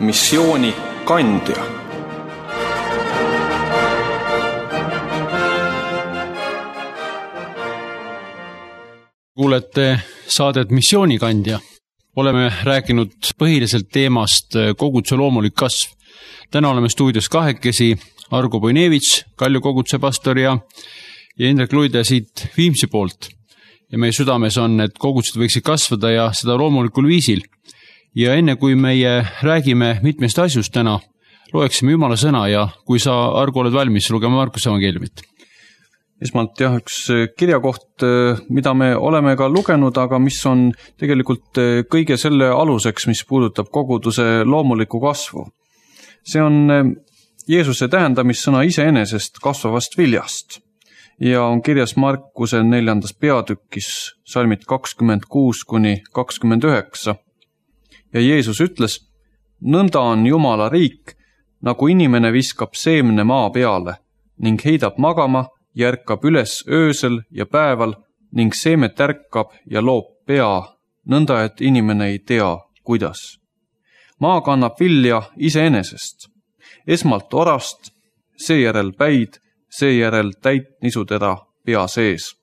missioonikandja. Kuulete saadet Missioonikandja. Oleme rääkinud põhiliselt teemast koguduse loomulik kasv. Täna oleme stuudios kahekesi Argo Bojnevitš, Kalju koguduse pastor ja Indrek Luide siit Viimsi poolt. Ja meie südames on, et kogudused võiksid kasvada ja seda loomulikul viisil. Ja enne kui meie räägime mitmest asjust täna, loeksime Jumala sõna ja kui sa, Argo, oled valmis, lugeme Markuse evangeeliumit. Esmalt üks kirjakoht, mida me oleme ka lugenud, aga mis on tegelikult kõige selle aluseks, mis puudutab koguduse loomulikku kasvu. See on Jeesuse tähendamissõna iseenesest kasvavast viljast ja on kirjas Markuse 4. peatükis salmid 26-29. Ja Jeesus ütles, nõnda on Jumala riik, nagu inimene viskab seemne maa peale ning heidab magama, järkab üles öösel ja päeval ning seemet ärkab ja loob pea, nõnda et inimene ei tea, kuidas. Maa kannab vilja iseenesest. Esmalt orast, seejärel päid, seejärel täit nisutera pea sees.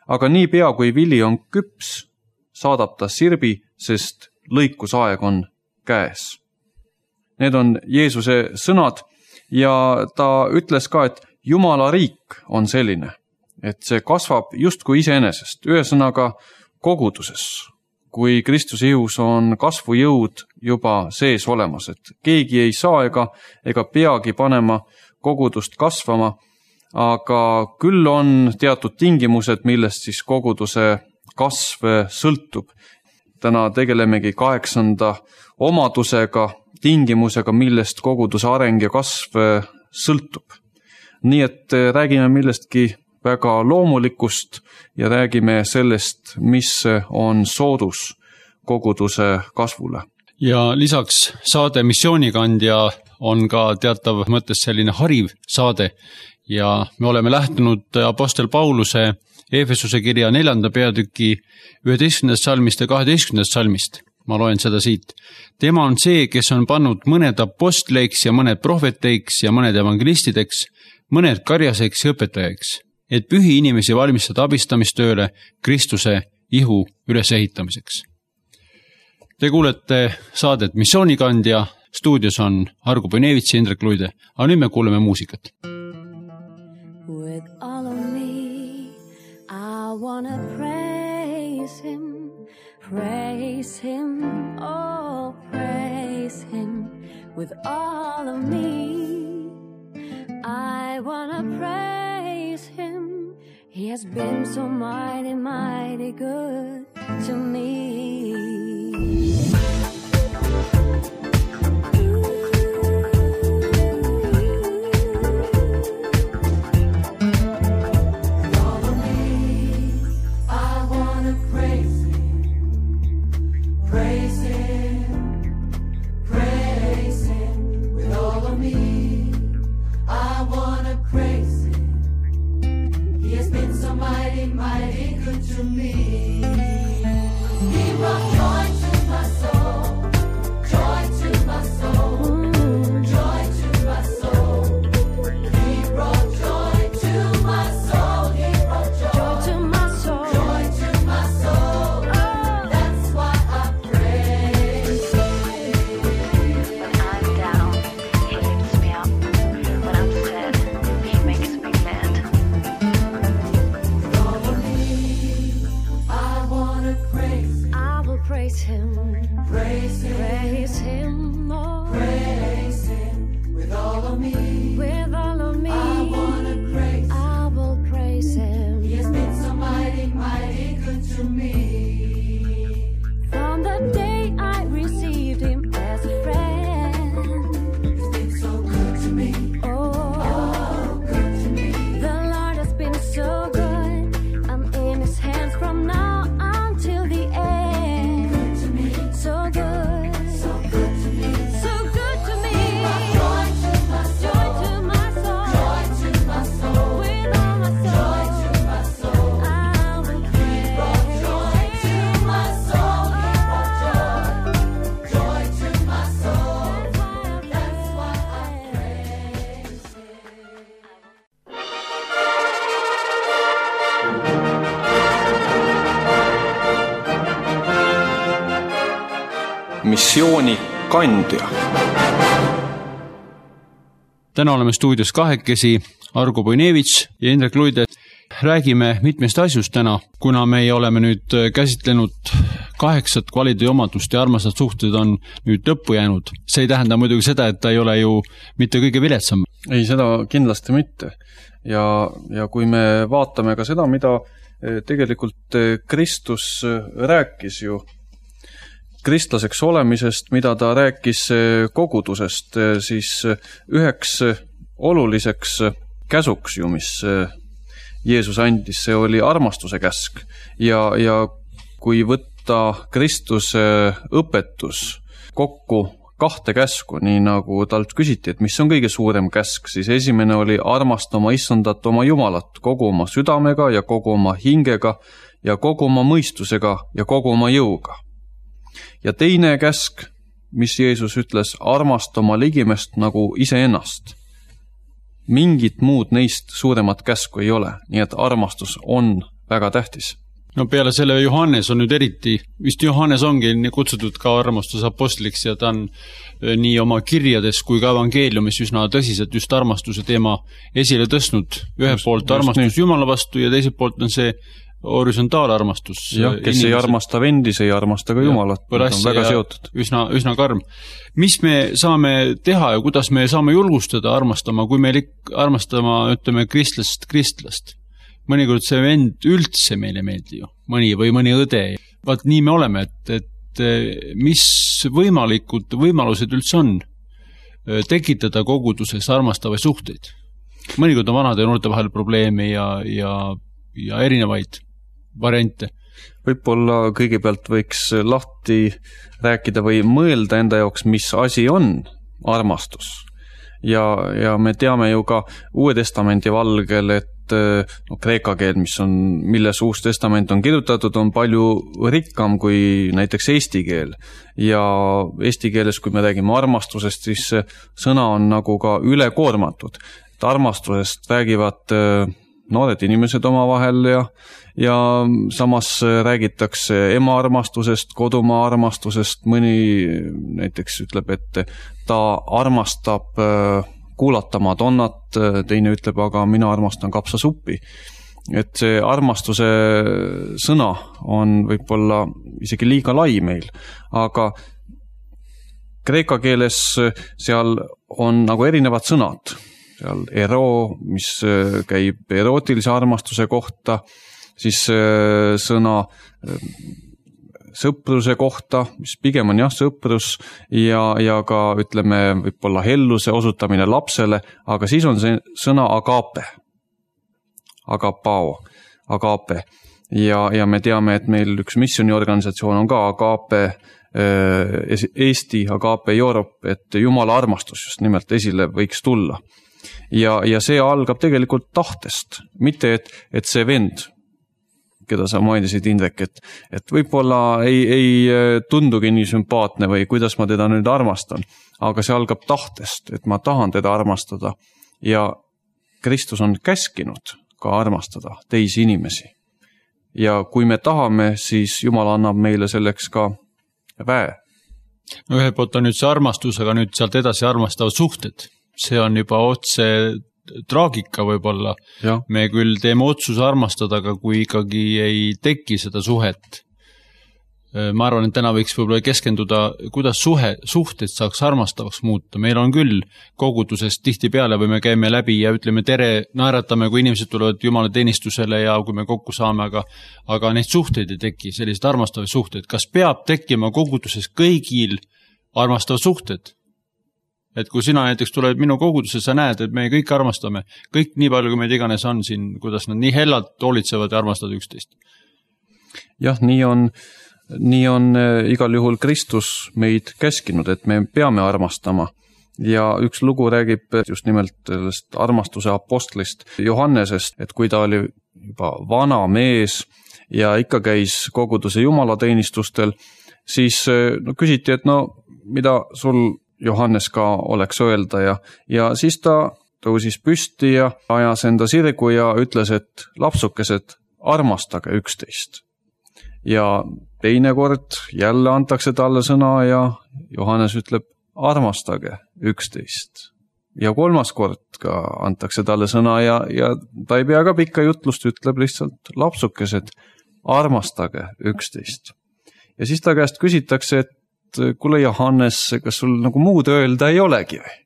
Aga nii pea kui vili on küps, saadab ta sirbi, sest lõikusaeg on käes. Need on Jeesuse sõnad ja ta ütles ka, et Jumala riik on selline, et see kasvab justkui iseenesest, ühesõnaga koguduses, kui Kristuse ihus on kasvujõud juba sees olemas, et keegi ei saa ega peagi panema kogudust kasvama, aga küll on teatud tingimused, millest siis koguduse kasv sõltub. Täna tegelemegi 8. omadusega, tingimusega, millest koguduse areng ja kasv sõltub. Nii et räägime millestki väga loomulikust ja räägime sellest, mis on soodus koguduse kasvule. Ja lisaks saade Missioonikandja on ka teatav mõttes selline hariv saade ja me oleme lähtunud apostel Pauluse Eefesuse kirja 4. peatüki 11. salmist ja 12. salmist. Ma loen seda siit. Tema on see, kes on pannud mõned apostleiks ja mõned prohveteiks ja mõned evangelistideks, mõned karjaseks ja õpetajaks, et pühi inimesi valmistada abistamistööle Kristuse ihu ülesehitamiseks. Te kuulete saadet Missioonikandja, stuudios on Argo Bojnevitš ja Indrek Luide, aga nüüd me kuuleme muusikat. With all of me, I wanna praise him, oh praise him. With all of me, I wanna praise him. He has been so mighty, mighty good to me. Mighty good to me. He brought joy to my soul, joy to my soul, joy to my soul. He brought joy to my soul, he brought joy to my soul, joy to my soul. That's why I praise him. When I'm down, he lifts me up. When I'm sad, he makes me glad. missiooni kandja. Täna oleme stuudios kahekesi, Argo Bojnevitš ja Indrek Luide. Räägime mitmest asjust täna, kuna me oleme nüüd käsitlenud 8 kvaliteediomadust ja armastad suhted on nüüd lõppu jäänud. See ei tähenda muidugi seda, et ta ei ole ju mitte kõige viletsam. Ei, seda kindlasti mitte. Ja kui me vaatame ka seda, mida tegelikult Kristus rääkis ju kristlaseks olemisest, mida ta rääkis kogudusest, siis üheks oluliseks käsuks ju, mis Jeesus andis, see oli armastuse käsk. Ja kui võtta Kristuse õpetus kokku 2 käsku, nii nagu talt küsiti, et mis on kõige suurem käsk, siis esimene oli armasta oma Issandat, oma Jumalat, kogu oma südamega ja kogu oma hingega ja kogu oma mõistusega ja kogu oma jõuga. Ja teine käsk, mis Jeesus ütles, armasta oma ligimest nagu iseennast. Mingit muud neist suuremat käsku ei ole, nii et armastus on väga tähtis. No peale selle Johannes on nüüd eriti, vist Johannes ongi kutsutud ka armastuse apostliksi ja ta on nii oma kirjades kui ka evangeeliumis üsna tõsiselt just armastuse teema esile tõstnud. Ühelt poolt armastus Jumala vastu ja teiselt poolt on see horisontaalarmastus. Jah, kes ei armasta vendi, see ei armasta ka Jumalat. On väga seotud. Üsna karm. Mis me saame teha ja kuidas me saame julgustada armastama, kui me armastama, ütleme, kristlast? Mõnikord see vend üldse meile meeldi ju, mõni õde. Vaat nii me oleme, et mis võimalused üldse on tekitada koguduses armastavaid suhteid. Mõnikord on vanade ja noorte vahel probleeme ja erinevaid variante. Võib-olla kõigepealt võiks lahti rääkida või mõelda enda jaoks, mis asi on armastus. Ja me teame ju ka Uue Testamendi valgel, et kreeka keel, milles Uus Testament on kirjutatud, on palju rikkam kui näiteks eesti keel. Ja eesti keeles, kui me räägime armastusest, siis sõna on nagu ka ülekoormatud. Et armastusest räägivad noored inimesed omavahel ja samas räägitakse ema armastusest, kodumaa armastusest, mõni näiteks ütleb, et ta armastab kuulata Madonnat, teine ütleb, aga mina armastan kapsasuppi. Et see armastuse sõna on võib-olla isegi liiga lai meil, aga kreeka keeles seal on nagu erinevad sõnad. Seal ero, mis käib erootilise armastuse kohta, siis sõna sõpruse kohta, mis pigem on sõprus ja ka ütleme võib-olla helluse osutamine lapsele, aga siis on see sõna agape, agapao, agape. Ja me teame, et meil üks missiooniorganisatsioon on ka agape Eesti, agape Europe, et Jumala armastus just nimelt esile võiks tulla. Ja see algab tegelikult tahtest, mitte et see vend, keda sa mainisid, Indrek, et võib-olla ei tundugi nii sümpaatne või kuidas ma teda nüüd armastan, aga see algab tahtest, et ma tahan teda armastada ja Kristus on käskinud ka armastada teisi inimesi. Ja kui me tahame, siis Jumal annab meile selleks ka väe. No ühelt poolt on nüüd see armastus, aga nüüd sealt edasi armastavad suhted. See on juba otse traagika võib-olla. Ja. Me küll teeme otsuse armastada, aga kui ikkagi ei teki seda suhet. Ma arvan, et täna võiks võib-olla keskenduda, kuidas suhted saaks armastavaks muuta. Meil on küll kogudusest tihti peale või me käime läbi ja ütleme tere, naeratame, kui inimesed tulevad Jumala teenistusele ja kui me kokku saame, aga neid suhteid ei teki, sellised armastavad suhted. Kas peab tekkima koguduses kõigil armastavad suhted? Et kui sina näiteks tuled minu kogudusse, sa näed, et me kõik armastame, kõik nii palju, kui meid iganes on siin, kuidas nad nii hellalt hoolitsevad ja armastavad üksteist. Jah, nii on igal juhul Kristus meid käskinud, et me peame armastama. Ja üks lugu räägib just nimelt sellest armastuse apostlist Johannesest, et kui ta oli juba vana mees ja ikka käis koguduse jumalateenistustel, siis küsiti, et mida sul Johannes ka oleks öelda ja siis ta tõusis püsti ja ajas enda sirgu ja ütles, et lapsukesed, armastage üksteist. ja teinekord jälle antakse talle sõna ja Johannes ütleb, armastage üksteist. Ja kolmas kord ka antakse talle sõna ja ta ei pea ka pikka jutlust, ütleb lihtsalt lapsukesed, armastage üksteist. Ja siis ta käest küsitakse, et kuule Johannes, kas sul nagu muud öelda ei olegi või?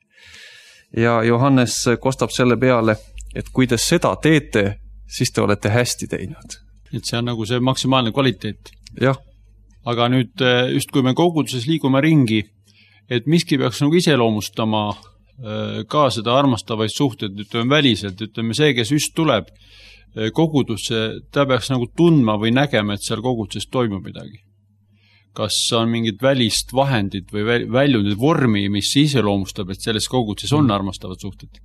Ja Johannes kostab selle peale, et kui te seda teete, siis te olete hästi teinud. Et see on nagu see maksimaalne kvaliteet. Jah. Aga nüüd just kui me koguduses liigume ringi, et miski peaks nagu iseloomustama ka seda armastavaid suhteid, ütleme väliselt, ütleme see, kes just tuleb kogudusse, ta peaks nagu tundma või nägema, et seal koguduses toimub midagi. Kas on mingid välist vahendid või väljundid vormi, mis iseloomustab, et selles koguduses on armastavad suhted?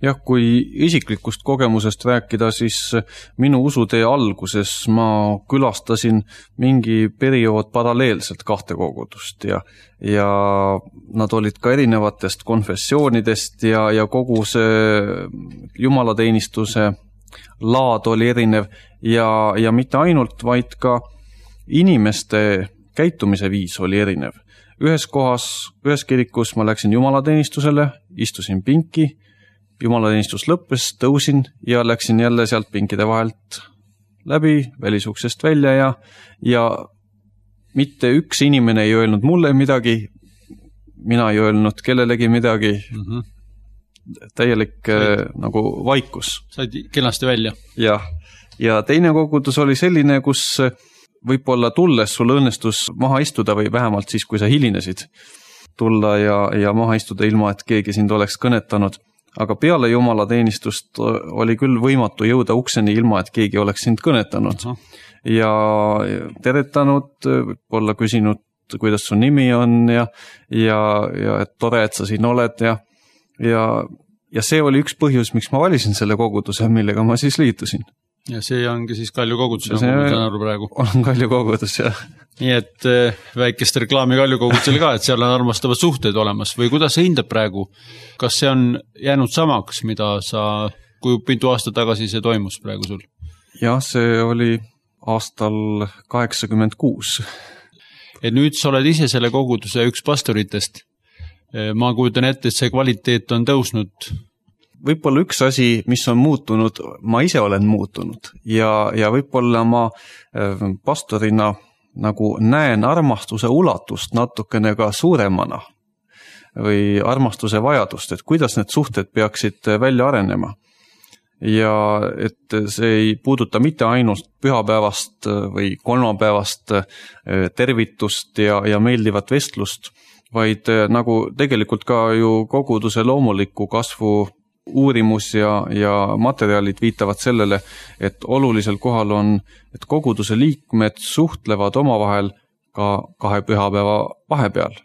Jah, kui isiklikust kogemusest rääkida, siis minu usutee alguses ma külastasin mingi periood paralleelselt 2 kogudust ja nad olid ka erinevatest konfessioonidest ja kogu see jumalateenistuse laad oli erinev ja mitte ainult, vaid ka inimeste käitumise viis oli erinev. Ühes kirikus ma läksin jumalateenistusele, istusin pinki, jumalateenistus lõppes, tõusin ja läksin jälle sealt pinkide vahelt läbi, välisuksest välja ja mitte üks inimene ei öelnud mulle midagi, mina ei öelnud kellelegi midagi, täielik nagu vaikus. Said kenasti välja. Ja teine kogudus oli selline, kus võib-olla tulles sul õnnestus maha istuda või vähemalt siis, kui sa hilinesid tulla ja maha istuda ilma, et keegi sind oleks kõnetanud. Aga peale jumalateenistust oli küll võimatu jõuda ukseni ilma, et keegi oleks sind kõnetanud. Ja teretanud, võib-olla küsinud, kuidas su nimi on ja et tore, et sa siin oled ja see oli üks põhjus, miks ma valisin selle koguduse, millega ma siis liitusin. Ja see ongi siis Kalju kogudus, nagu ma saan aru praegu. On Kalju kogudus, jah. Nii et väikest reklaami Kalju kogudusel ka, et seal on armastavad suhted olemas või kuidas sa hindab praegu? Kas see on jäänud samaks, mida kui mitu aastat tagasi see toimus praegu sul? Jah, see oli aastal 86. Et nüüd sa oled ise selle koguduse üks pastoritest. Ma kujutan ette, et see kvaliteet on tõusnud. Võib-olla üks asi, mis on muutunud, ma ise olen muutunud ja võib-olla ma pastorina nagu näen armastuse ulatust natukene ka suuremana või armastuse vajadust, et kuidas need suhted peaksid välja arenema. Ja et see ei puuduta mitte ainult pühapäevast või kolmapäevast tervitust ja meeldivat vestlust, vaid nagu tegelikult ka ju koguduse loomuliku kasvu uurimus ja materjalid viitavad sellele, et olulisel kohal on, et koguduse liikmed suhtlevad omavahel ka 2 pühapäeva vahepeal.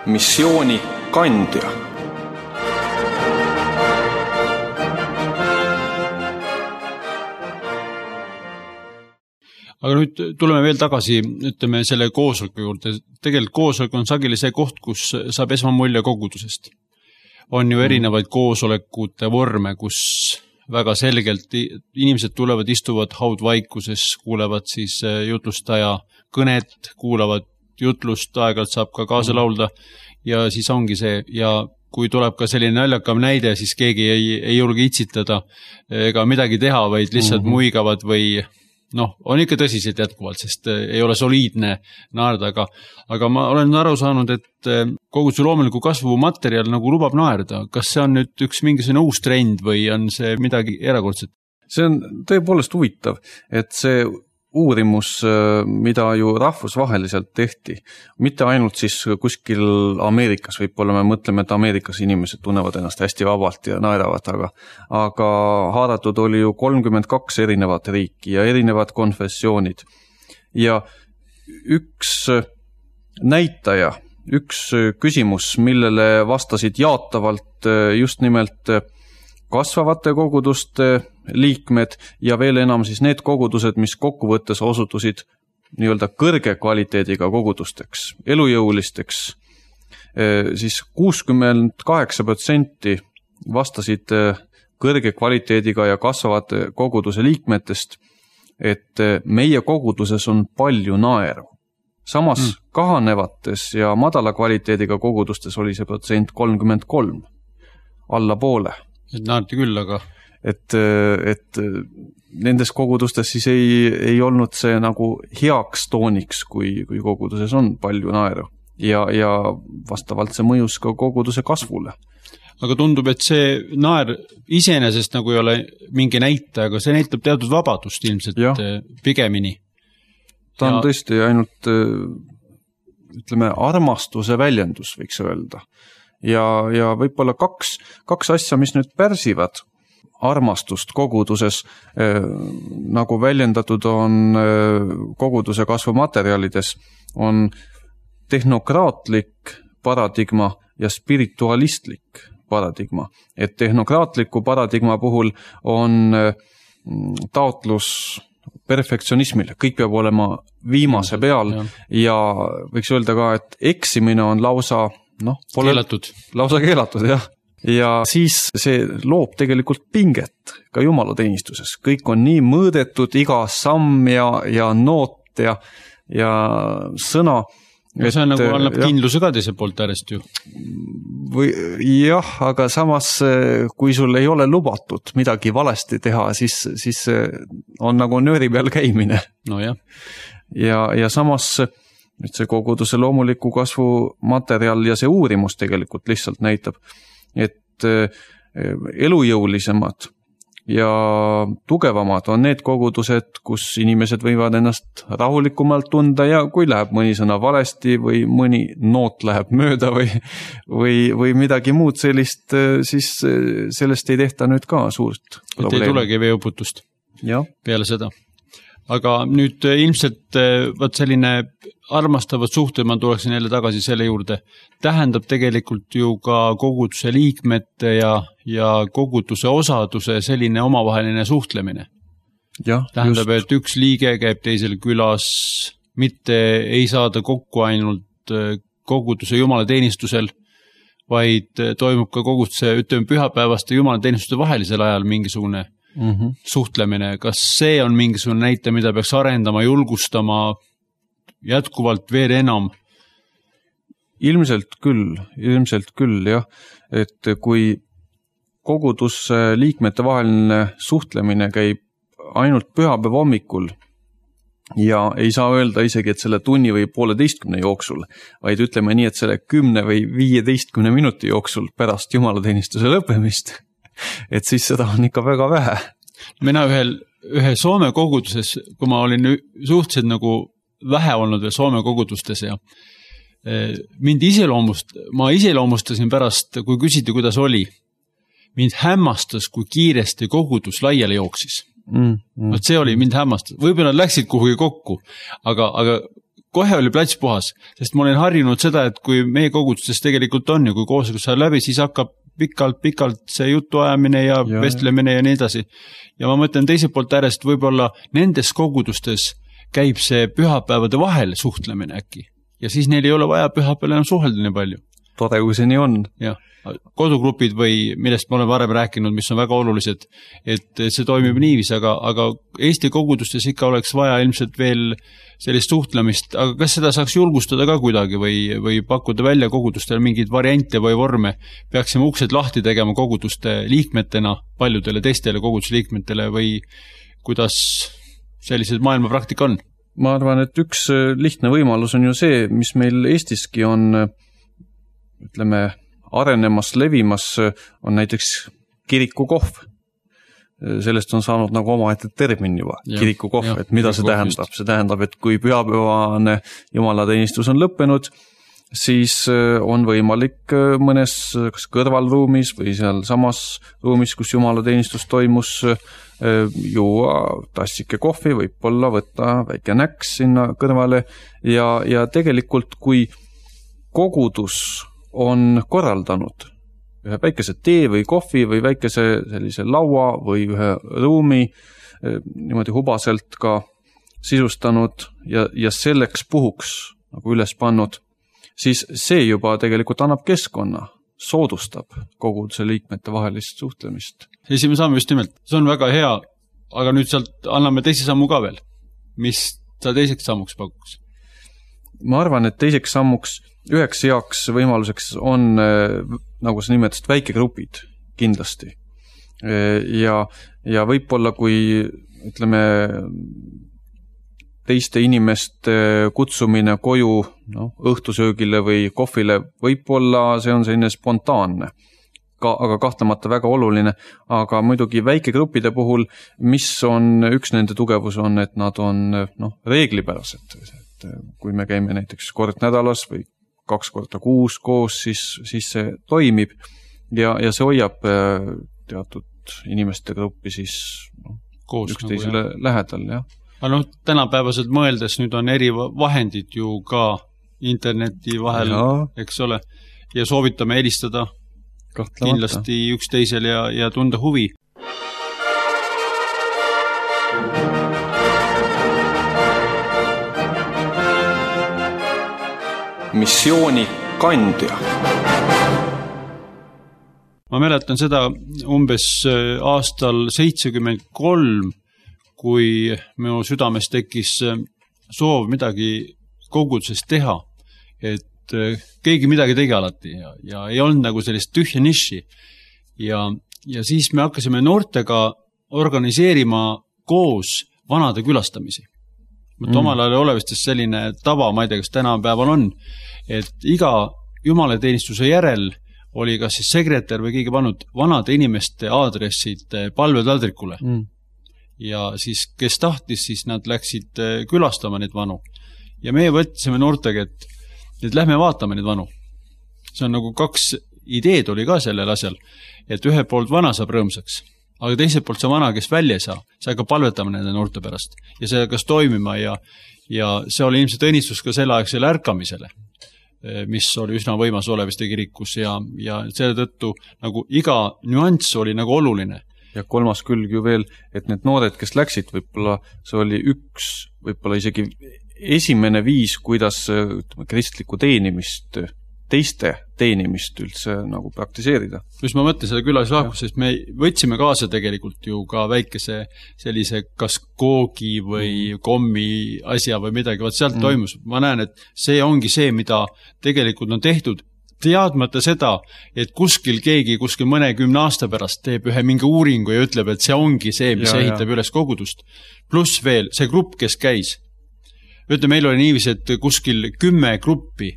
Missiooni kandja. Aga nüüd tuleme veel tagasi, ütleme selle koosoleku juurde. Tegelikult koosolek on sageli see koht, kus saab esmamulje kogudusest. On ju erinevaid koosolekute vorme, kus väga selgelt inimesed tulevad, istuvad haudvaikuses, kuulevad siis jutlustaja kõnet, kuulavad jutlust, aeg-ajalt saab ka kaasa laulda ja siis ongi see ja kui tuleb ka selline naljakam näide, siis keegi ei julge itsitada ega midagi teha, vaid lihtsalt muigavad või on ikka tõsiselt jätkuvalt, sest ei ole soliidne naerda, aga ma olen aru saanud, et koguduse loomuliku kasvu materjal nagu lubab naerda. Kas see on nüüd üks mingisugune uus trend või on see midagi erakordset? See on tõepoolest huvitav, et see uurimus, mida ju rahvusvaheliselt tehti, mitte ainult siis kuskil Ameerikas, võib-olla me mõtleme, et Ameerikas inimesed tunnevad ennast hästi vabalt ja naeravad, aga haaratud oli ju 32 erinevat riiki ja erinevad konfessioonid. Ja üks näitaja, üks küsimus, millele vastasid jaatavalt just nimelt kasvavate koguduste liikmed ja veel enam siis need kogudused, mis kokkuvõttes osutusid nii-öelda kõrge kvaliteediga kogudusteks, elujõulisteks siis 68% vastasid kõrge kvaliteediga ja kasvavate koguduse liikmetest, et meie koguduses on palju naeru. Samas kahanevates ja madala kvaliteediga kogudustes oli see protsent 33, alla poole. Et naerti küll, aga... Et nendes kogudustes siis ei olnud see nagu heaks tooniks, kui koguduses on palju naeru. Ja vastavalt see mõjus ka koguduse kasvule. Aga tundub, et see naer iseenesest nagu ei ole mingi näite, aga see näitab teatud vabadust ilmselt pigemini. Ta on tõesti ainult, ütleme, armastuse väljendus, võiks öelda. Ja võib-olla kaks asja, mis nüüd pärsivad armastust koguduses, nagu väljendatud on koguduse kasvumaterjalides, on tehnokraatlik paradigma ja spiritualistlik paradigma. Et tehnokraatliku paradigma puhul on taotlus perfektsionismile, kõik peab olema viimase peal ja võiks öelda ka, et eksimine on lausa keelatud, jah. Ja siis see loob tegelikult pinget ka jumalateenistuses. Kõik on nii mõõdetud, iga samm ja noot ja sõna. Ja see on nagu annab kindluse ka teise poolt äärest ju. Jah, aga samas, kui sul ei ole lubatud midagi valesti teha, siis on nagu nööri peal käimine. No jah. Ja samas see koguduse loomuliku kasvu materjal ja see uurimus tegelikult lihtsalt näitab, et elujõulisemad ja tugevamad on need kogudused, kus inimesed võivad ennast rahulikumalt tunda ja kui läheb mõni sõna valesti või mõni noot läheb mööda või midagi muud sellist, siis sellest ei tehta nüüd ka suurt probleemi. Et ei tulegi veeuputust peale seda. Aga nüüd ilmselt selline armastavad suhted, ma tuleksin jälle tagasi selle juurde, tähendab tegelikult ju ka koguduse liikmete ja koguduse osaduse selline omavaheline suhtlemine. Tähendab, et üks liige käib teisel külas, mitte ei saada kokku ainult koguduse jumalateenistusel, vaid toimub ka koguduse, ütleme, pühapäevaste jumalateenistuste vahelisel ajal mingisugune suhtlemine. Kas see on mingisugune näite, mida peaks arendama, julgustama jätkuvalt veel enam? Ilmselt küll, jah. Et kui koguduse liikmete vaheline suhtlemine käib ainult pühapäeva hommikul ja ei saa öelda isegi, et selle tunni või 1,5 jooksul, vaid ütleme nii, et selle 10 või 15 minuti jooksul pärast jumalateenistuse lõppemist, et siis seda on ikka väga vähe. Mina ühe Soome koguduses, kui ma olin suhteliselt nagu vähe olnud veel Soome kogudustes ja ma iseloomustasin pärast, kui küsiti, kuidas oli. Mind hämmastas, kui kiiresti kogudus laiali jooksis. See oli mind hämmastas. Võib-olla nad läksid kuhugi kokku, aga kohe oli plats puhas, sest ma olen harjunud seda, et kui meie kogudustes tegelikult on ja kui koosolek saab läbi, siis hakkab pikalt see jutuajamine ja vestlemine ja nii edasi. Ja ma mõtlen teise poolt äärest, võib-olla nendes kogudustes käib see pühapäevade vahel suhtlemine äkki. Ja siis neil ei ole vaja pühapäeval enam suhelda nii palju. Tore, kui see nii on. Ja, kodugrupid või millest ma olen varem rääkinud, mis on väga olulised, et see toimib niivis, aga Eesti kogudustes ikka oleks vaja ilmselt veel sellist suhtlemist, aga kas seda saaks julgustada ka kuidagi või pakkuda välja kogudustele mingeid variante või vorme? Peaksime uksed lahti tegema koguduste liikmetena paljudele teistele kogudusliikmetele või kuidas sellised maailma praktika on? Ma arvan, et üks lihtne võimalus on ju see, mis meil Eestiski on, ütleme, arenemas, levimas, on näiteks kirikukohv. Sellest on saanud nagu omaette termin juba, kirikukohv, et mida see tähendab? See tähendab, et kui pühapäevane jumalateenistus on lõppenud, siis on võimalik mõnes kas kõrvalruumis või seal samas ruumis, kus jumalateenistus toimus, juua tassike kohvi, võib-olla võtta väike näks sinna kõrvale ja tegelikult kui kogudus on korraldanud ühe väikese tee või kohvi või väikese sellise laua või ühe ruumi niimoodi hubaselt ka sisustanud ja selleks puhuks nagu üles pannud, siis see juba tegelikult annab keskkonna, soodustab koguduse liikmete vahelist suhtlemist. Esimene samm just nimelt, see on väga hea, aga nüüd sealt anname teise sammu ka veel. Mis sa teiseks sammuks pakuks? Ma arvan, et teiseks sammuks üheks heaks võimaluseks on, nagu sa nimetasid, väikegrupid kindlasti. Ja võib-olla, kui ütleme, teiste inimeste kutsumine koju õhtusöögile või kohvile, võib-olla see on selline spontaanne, aga kahtlemata väga oluline, aga muidugi väikegruppide puhul, mis on üks nende tugevus on, et nad on reeglipärased. Et kui me käime näiteks kord nädalas või 2 korda kuus koos, siis see toimib ja see hoiab teatud inimeste gruppi siis koos üksteisele lähedal, jah. Aga tänapäevaselt mõeldes nüüd on eri vahendid ju ka interneti vahel, eks ole, ja soovitame helistada kindlasti üksteisel ja tunda huvi. Missiooni kandja. Ma mäletan seda umbes aastal 73, kui minu südames tekkis soov midagi koguduses teha, et keegi midagi tegi alati ja ei olnud nagu sellist tühja niši. Ja siis me hakkasime noortega organiseerima koos vanade külastamisi. Omal ajal olevastes selline tava, ma ei tea, kas tänapäeval on, et iga jumalateenistuse järel oli kas siis sekretär või keegi pannud vanade inimeste aadressid palvetaldrikule. Ja siis, kes tahtis, siis nad läksid külastama neid vanu. Ja meie võtsime noortega, et lähme vaatame neid vanu. See on nagu 2 ideed oli ka sellel asjal, et ühe poolt vana saab rõõmsaks, aga teiselt poolt see vana, kes välja ei saa, see hakkab palvetama nende noorte pärast. Ja see hakkas toimima ja see oli ilmselt õnnistus ka selleaegsele ärkamisele, mis oli üsna võimas oleviste kirikus ja selle tõttu nagu iga nüanss oli nagu oluline. Ja 3. külg ju veel, et need noored, kes läksid, võib-olla see oli võib-olla isegi esimene viis, kuidas kristlikku teenimist, teiste teenimist üldse nagu praktiseerida. Just ma mõtlen seda külalislahkus, sest me võtsime kaasa tegelikult ju ka väikese sellise kas koogi või kommi asja või midagi, vaat sealt toimus. Ma näen, et see ongi see, mida tegelikult on tehtud, teadmata seda, et kuskil keegi kuskil mõnekümne aasta pärast teeb ühe mingi uuringu ja ütleb, et see ongi see, mis ehitab üles kogudust. Pluss veel see grupp, kes käis. Ütleme, meil oli niivis, et kuskil 10 gruppi,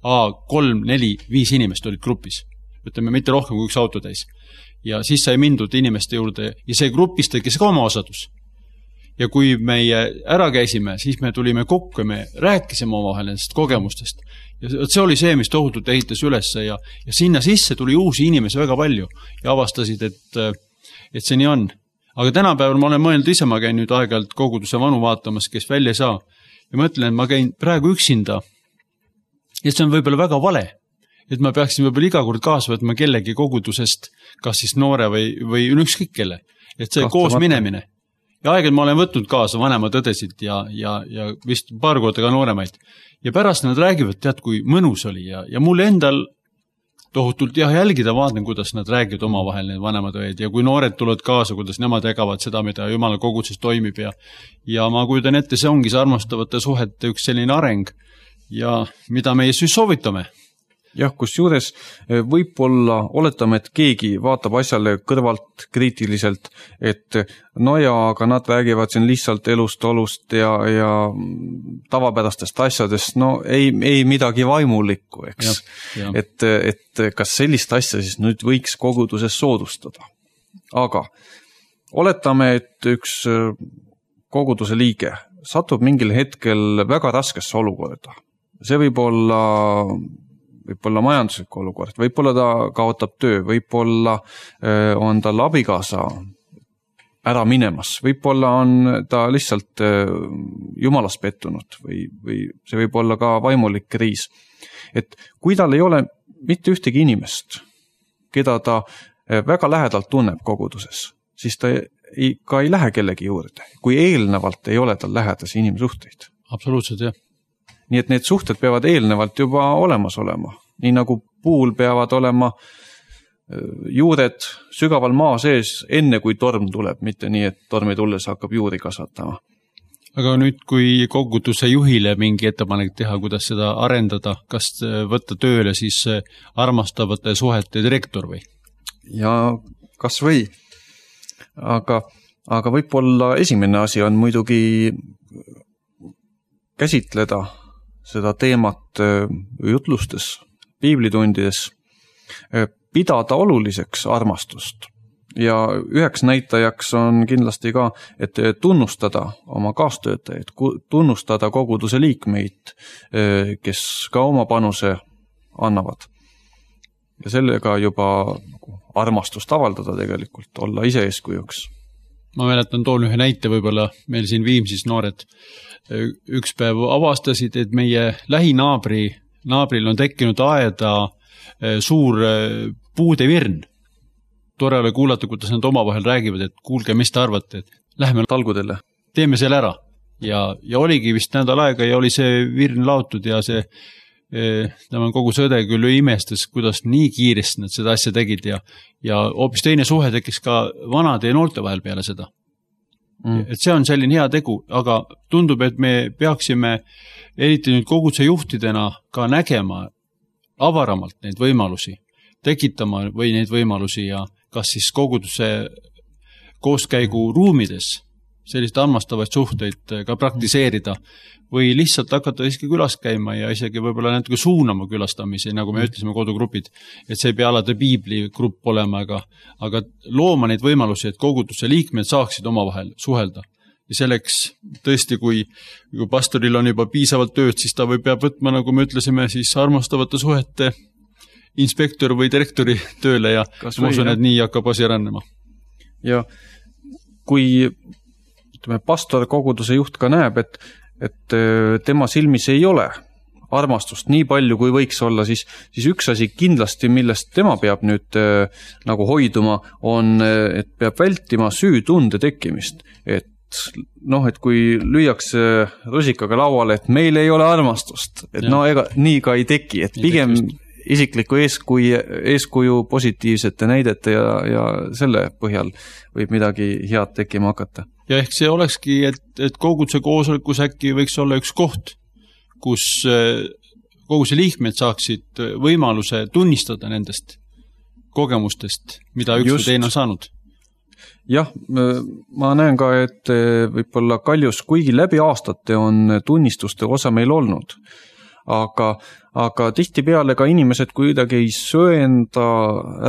3, 4, 5 inimest olid grupis. Ütleme, mitte rohkem kui 1 auto täis. Ja siis sai mindud inimeste juurde ja see grupis tekkis ka oma osadus. Ja kui meie ära käisime, siis me tulime kokku ja me rääkisime omavahel nendest kogemustest. Ja see oli see, mis tohutult ehitas üles ja sinna sisse tuli uusi inimesi väga palju ja avastasid, et see nii on. Aga tänapäeval ma olen mõelnud ise, ma käin nüüd aeg-ajalt koguduse vanu vaatamas, kes välja ei saa. Ja mõtlen, et ma käin praegu üksinda ja see on võib-olla väga vale, et ma peaksin võib-olla iga kord kaasa võtma kellegi kogudusest, kas siis noore või ükskõik kelle. Et see koos minemine. Ja aeg-ajalt ma olen võtnud kaasa vanemad õdesid ja vist paar korda ka nooremaid. Ja pärast nad räägivad, tead, kui mõnus oli ja mul endal tohutult jälgida vaatan, kuidas nad räägivad omavahel need vanemad õed ja kui noored tulevad kaasa, kuidas nemad jagavad seda, mida Jumala koguduses toimib ja ma kujutan ette, see ongi see armastavate suhete üks selline areng ja mida meie siis soovitame. Jah, kus juures võib-olla oletame, et keegi vaatab asjale kõrvalt kriitiliselt, et aga nad räägivad siin lihtsalt elust, olust ja tavapärastest asjadest, ei midagi vaimulikku, eks. Ja. Et kas sellist asja siis nüüd võiks koguduses soodustada. Aga oletame, et üks koguduse liige satub mingil hetkel väga raskesse olukorda. See võib olla majanduslik olukord, võib-olla ta kaotab töö, võib-olla on tal abikaasa ära minemas, võib-olla on ta lihtsalt jumalas pettunud või see võib olla ka vaimulik kriis. Et kui tal ei ole mitte ühtegi inimest, keda ta väga lähedalt tunneb koguduses, siis ta ka ei lähe kellegi juurde, kui eelnevalt ei ole tal lähedasi inimsuhteid. Absoluutselt, jah. Nii et need suhted peavad eelnevalt juba olemas olema. Nii nagu puul peavad olema juured sügaval maa sees enne kui torm tuleb, mitte nii, et tormi tulles hakkab juuri kasvatama. Aga nüüd, kui koguduse juhile mingi ettepanek teha, kuidas seda arendada, kas võtta tööle siis armastavate suhete direktor või? Ja kas või? Aga võib-olla esimene asi on muidugi käsitleda seda teemat jutlustes, piiblitundides, pidada oluliseks armastust. Ja üheks näitajaks on kindlasti ka, et tunnustada oma kaastöötajaid, tunnustada koguduse liikmeid, kes ka oma panuse annavad. Ja sellega juba armastust avaldada tegelikult, olla ise eeskujuks. Ma mäletan, toon ühe näite võib-olla, meil siin Viimsis noored üks päev avastasid, et meie lähinaabril on tekkinud aeda suur puude virn. Tore ole kuulata, kuidas nad omavahel räägivad, et kuulge, mis te arvate, et lähme talgudele. Teeme selle ära. Ja oligi vist nädal aega ja oli see virn laotud ja see tema kogu sõde küll imestas, kuidas nii kiiresti nad seda asja tegid ja hoopis teine suhe tekkis ka vanade ja noolte vahel peale seda. Et see on selline hea tegu, aga tundub, et me peaksime eriti nüüd koguduse juhtidena ka nägema avaramalt neid võimalusi, tekitama või neid võimalusi ja kas siis koguduse kooskäigu ruumides selliseid armastavaid suhteid ka praktiseerida või lihtsalt hakata isegi külas käima ja isegi võib-olla natuke suunama külastamisi, nagu me ütlesime kodugrupid, et see ei pea alati piibligrupp olema, aga looma neid võimalusi, et koguduse liikmed saaksid omavahel suhelda. Ja selleks tõesti, kui pastoril on juba piisavalt tööd, siis ta peab võtma, nagu me ütlesime, siis armastavate suhete inspektor või direktori tööle ja ma usun, et nii hakkab asi arenema. Ja kui pastor koguduse juht ka näeb, et tema silmis ei ole armastust nii palju, kui võiks olla, siis üks asi kindlasti, millest tema peab nüüd nagu hoiduma, on, et peab vältima süütunde tekkimist. Et kui lüüakse rusikaga lauale, et meil ei ole armastust, et ega nii ka ei teki, et pigem isikliku eeskuju positiivsete näidete ja selle põhjal võib midagi head tekkima hakata. Ja ehk see olekski, et koguduse koosolekus äkki võiks olla üks koht, kus koguduse liikmed saaksid võimaluse tunnistada nendest kogemustest, mida üks või teine on saanud. Jah, ma näen ka, et võib-olla Kaljus, kuigi läbi aastate on tunnistuste osa meil olnud, aga tihtipeale ka inimesed kuidagi ei söenda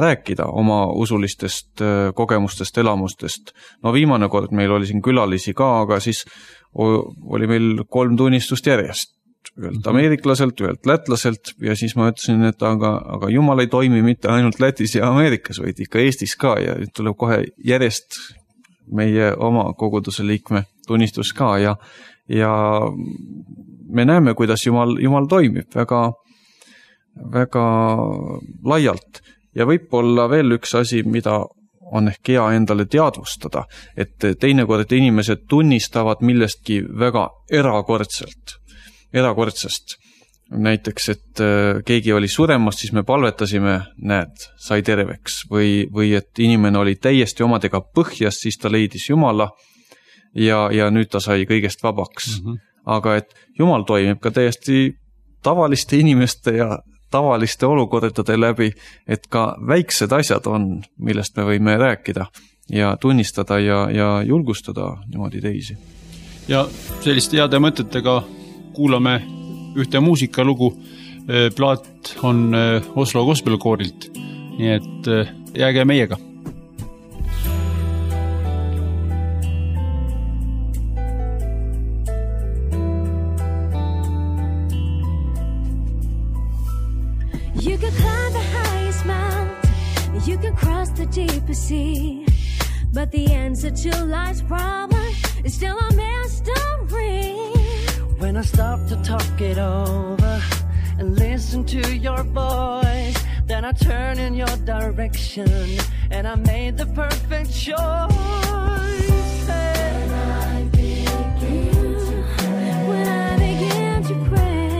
rääkida oma usulistest kogemustest, elamustest. Viimane kord meil oli siin külalisi ka, aga siis oli meil 3 tunnistust järjest. Ühelt ameeriklaselt, ühelt lätlaselt ja siis ma ütlesin, et aga Jumal ei toimi mitte ainult Lätis ja Ameerikas, vaid ikka Eestis ka ja tuleb kohe järjest meie oma koguduse liikme tunnistus ka ja me näeme, kuidas Jumal toimib väga, väga laialt. Ja võib-olla veel üks asi, mida on ehk hea endale teadvustada, et teinekord inimesed tunnistavad millestki väga erakordsest. Näiteks, et keegi oli suremas, siis me palvetasime, sai terveks. Või et inimene oli täiesti omadega põhjas, siis ta leidis Jumala ja nüüd ta sai kõigest vabaks. Aga et Jumal toimib ka täiesti tavaliste inimeste ja tavaliste olukordade läbi, et ka väiksed asjad on, millest me võime rääkida ja tunnistada ja julgustada niimoodi teisi. Ja selliste heade mõtetega kuulame ühte muusikalugu. Plaat on Oslo Gospelkoorilt, nii et jääge meiega. You can climb the highest mountain, you can cross the deepest sea, but the answer to life's problem is still a mystery. When I stop to talk it over and listen to your voice, then I turn in your direction and I made the perfect choice. When I begin to pray,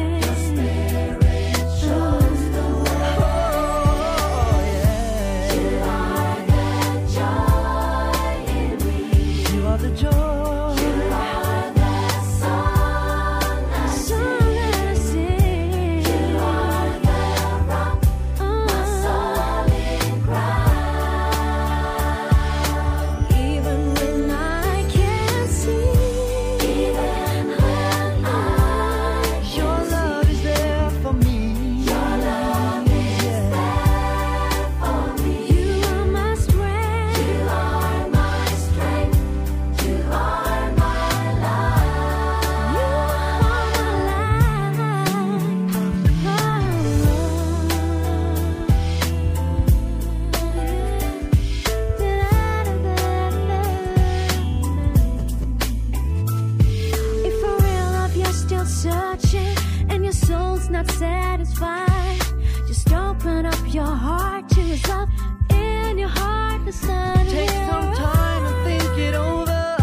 is up in your heart, the sun Take will some time and think it over.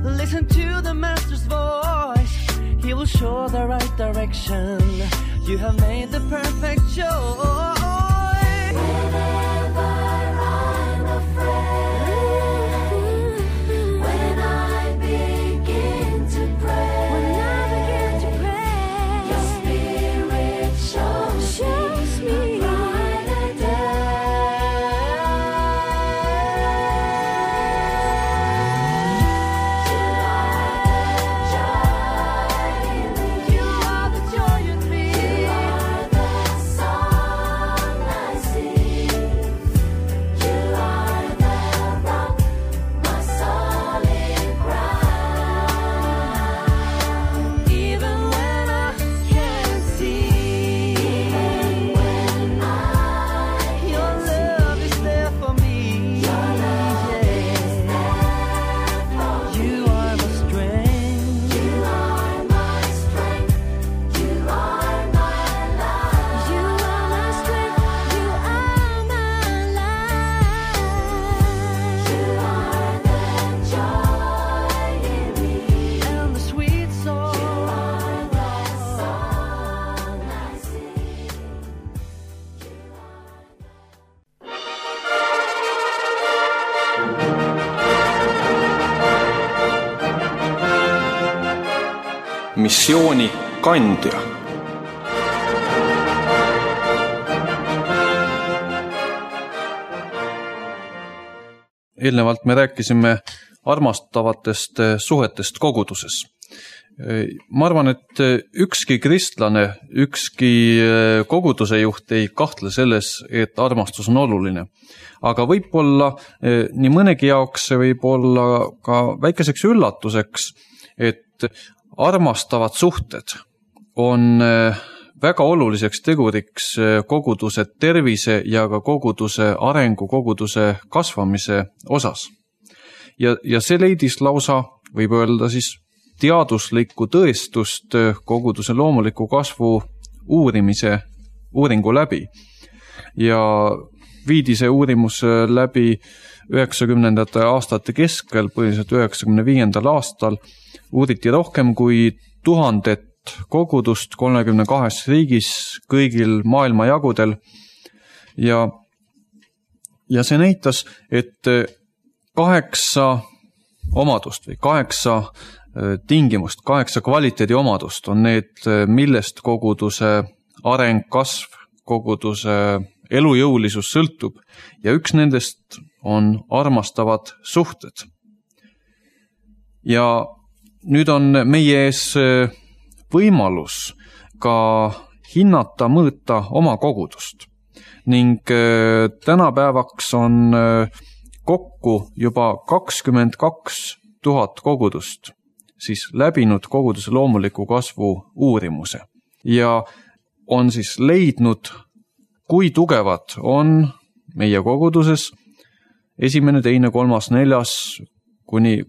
Listen to the master's voice. He will show the right direction. You have made the perfect choice. Whenever I'm afraid, when I begin to pray, your spirit shows me a brighter You are the joy in me. You are the song I sing. You are the rock, my solid ground. Even when I can't see, your love is there for me. You are my strength. You are my strength. You are my life. You are my strength, you are my life. You are the joy in me. And the sweet song. You are the song I sing. missiooni kandja. Eelnevalt me rääkisime armastavatest suhetest koguduses. Ma arvan, et ükski kristlane, ükski koguduse juht ei kahtle selles, et armastus on oluline. Aga võib-olla nii mõnegi jaoks see võib olla ka väikeseks üllatuseks, et armastavad suhted on väga oluliseks teguriks koguduse tervise ja ka koguduse arengu, koguduse kasvamise osas. Ja see leidis lausa, võib öelda siis, teaduslikku tõestust koguduse loomuliku kasvu uuringu läbi. Ja viidi see uurimus läbi 90. aastate keskel, põhiliselt 95. aastal, uuriti rohkem kui 1000 kogudust 32 riigis kõigil maailmajagudel ja see näitas, et 8 omadust või 8 tingimust, 8 kvaliteedi omadust on need, millest koguduse areng, kasv, koguduse elujõulisus sõltub ja üks nendest on armastavad suhted. Ja nüüd on meie ees võimalus ka hinnata, mõõta oma kogudust ning tänapäevaks on kokku juba 22 000 kogudust siis läbinud koguduse loomuliku kasvu uurimuse ja on siis leidnud, kui tugevad on meie koguduses 1., 2., 3., 4.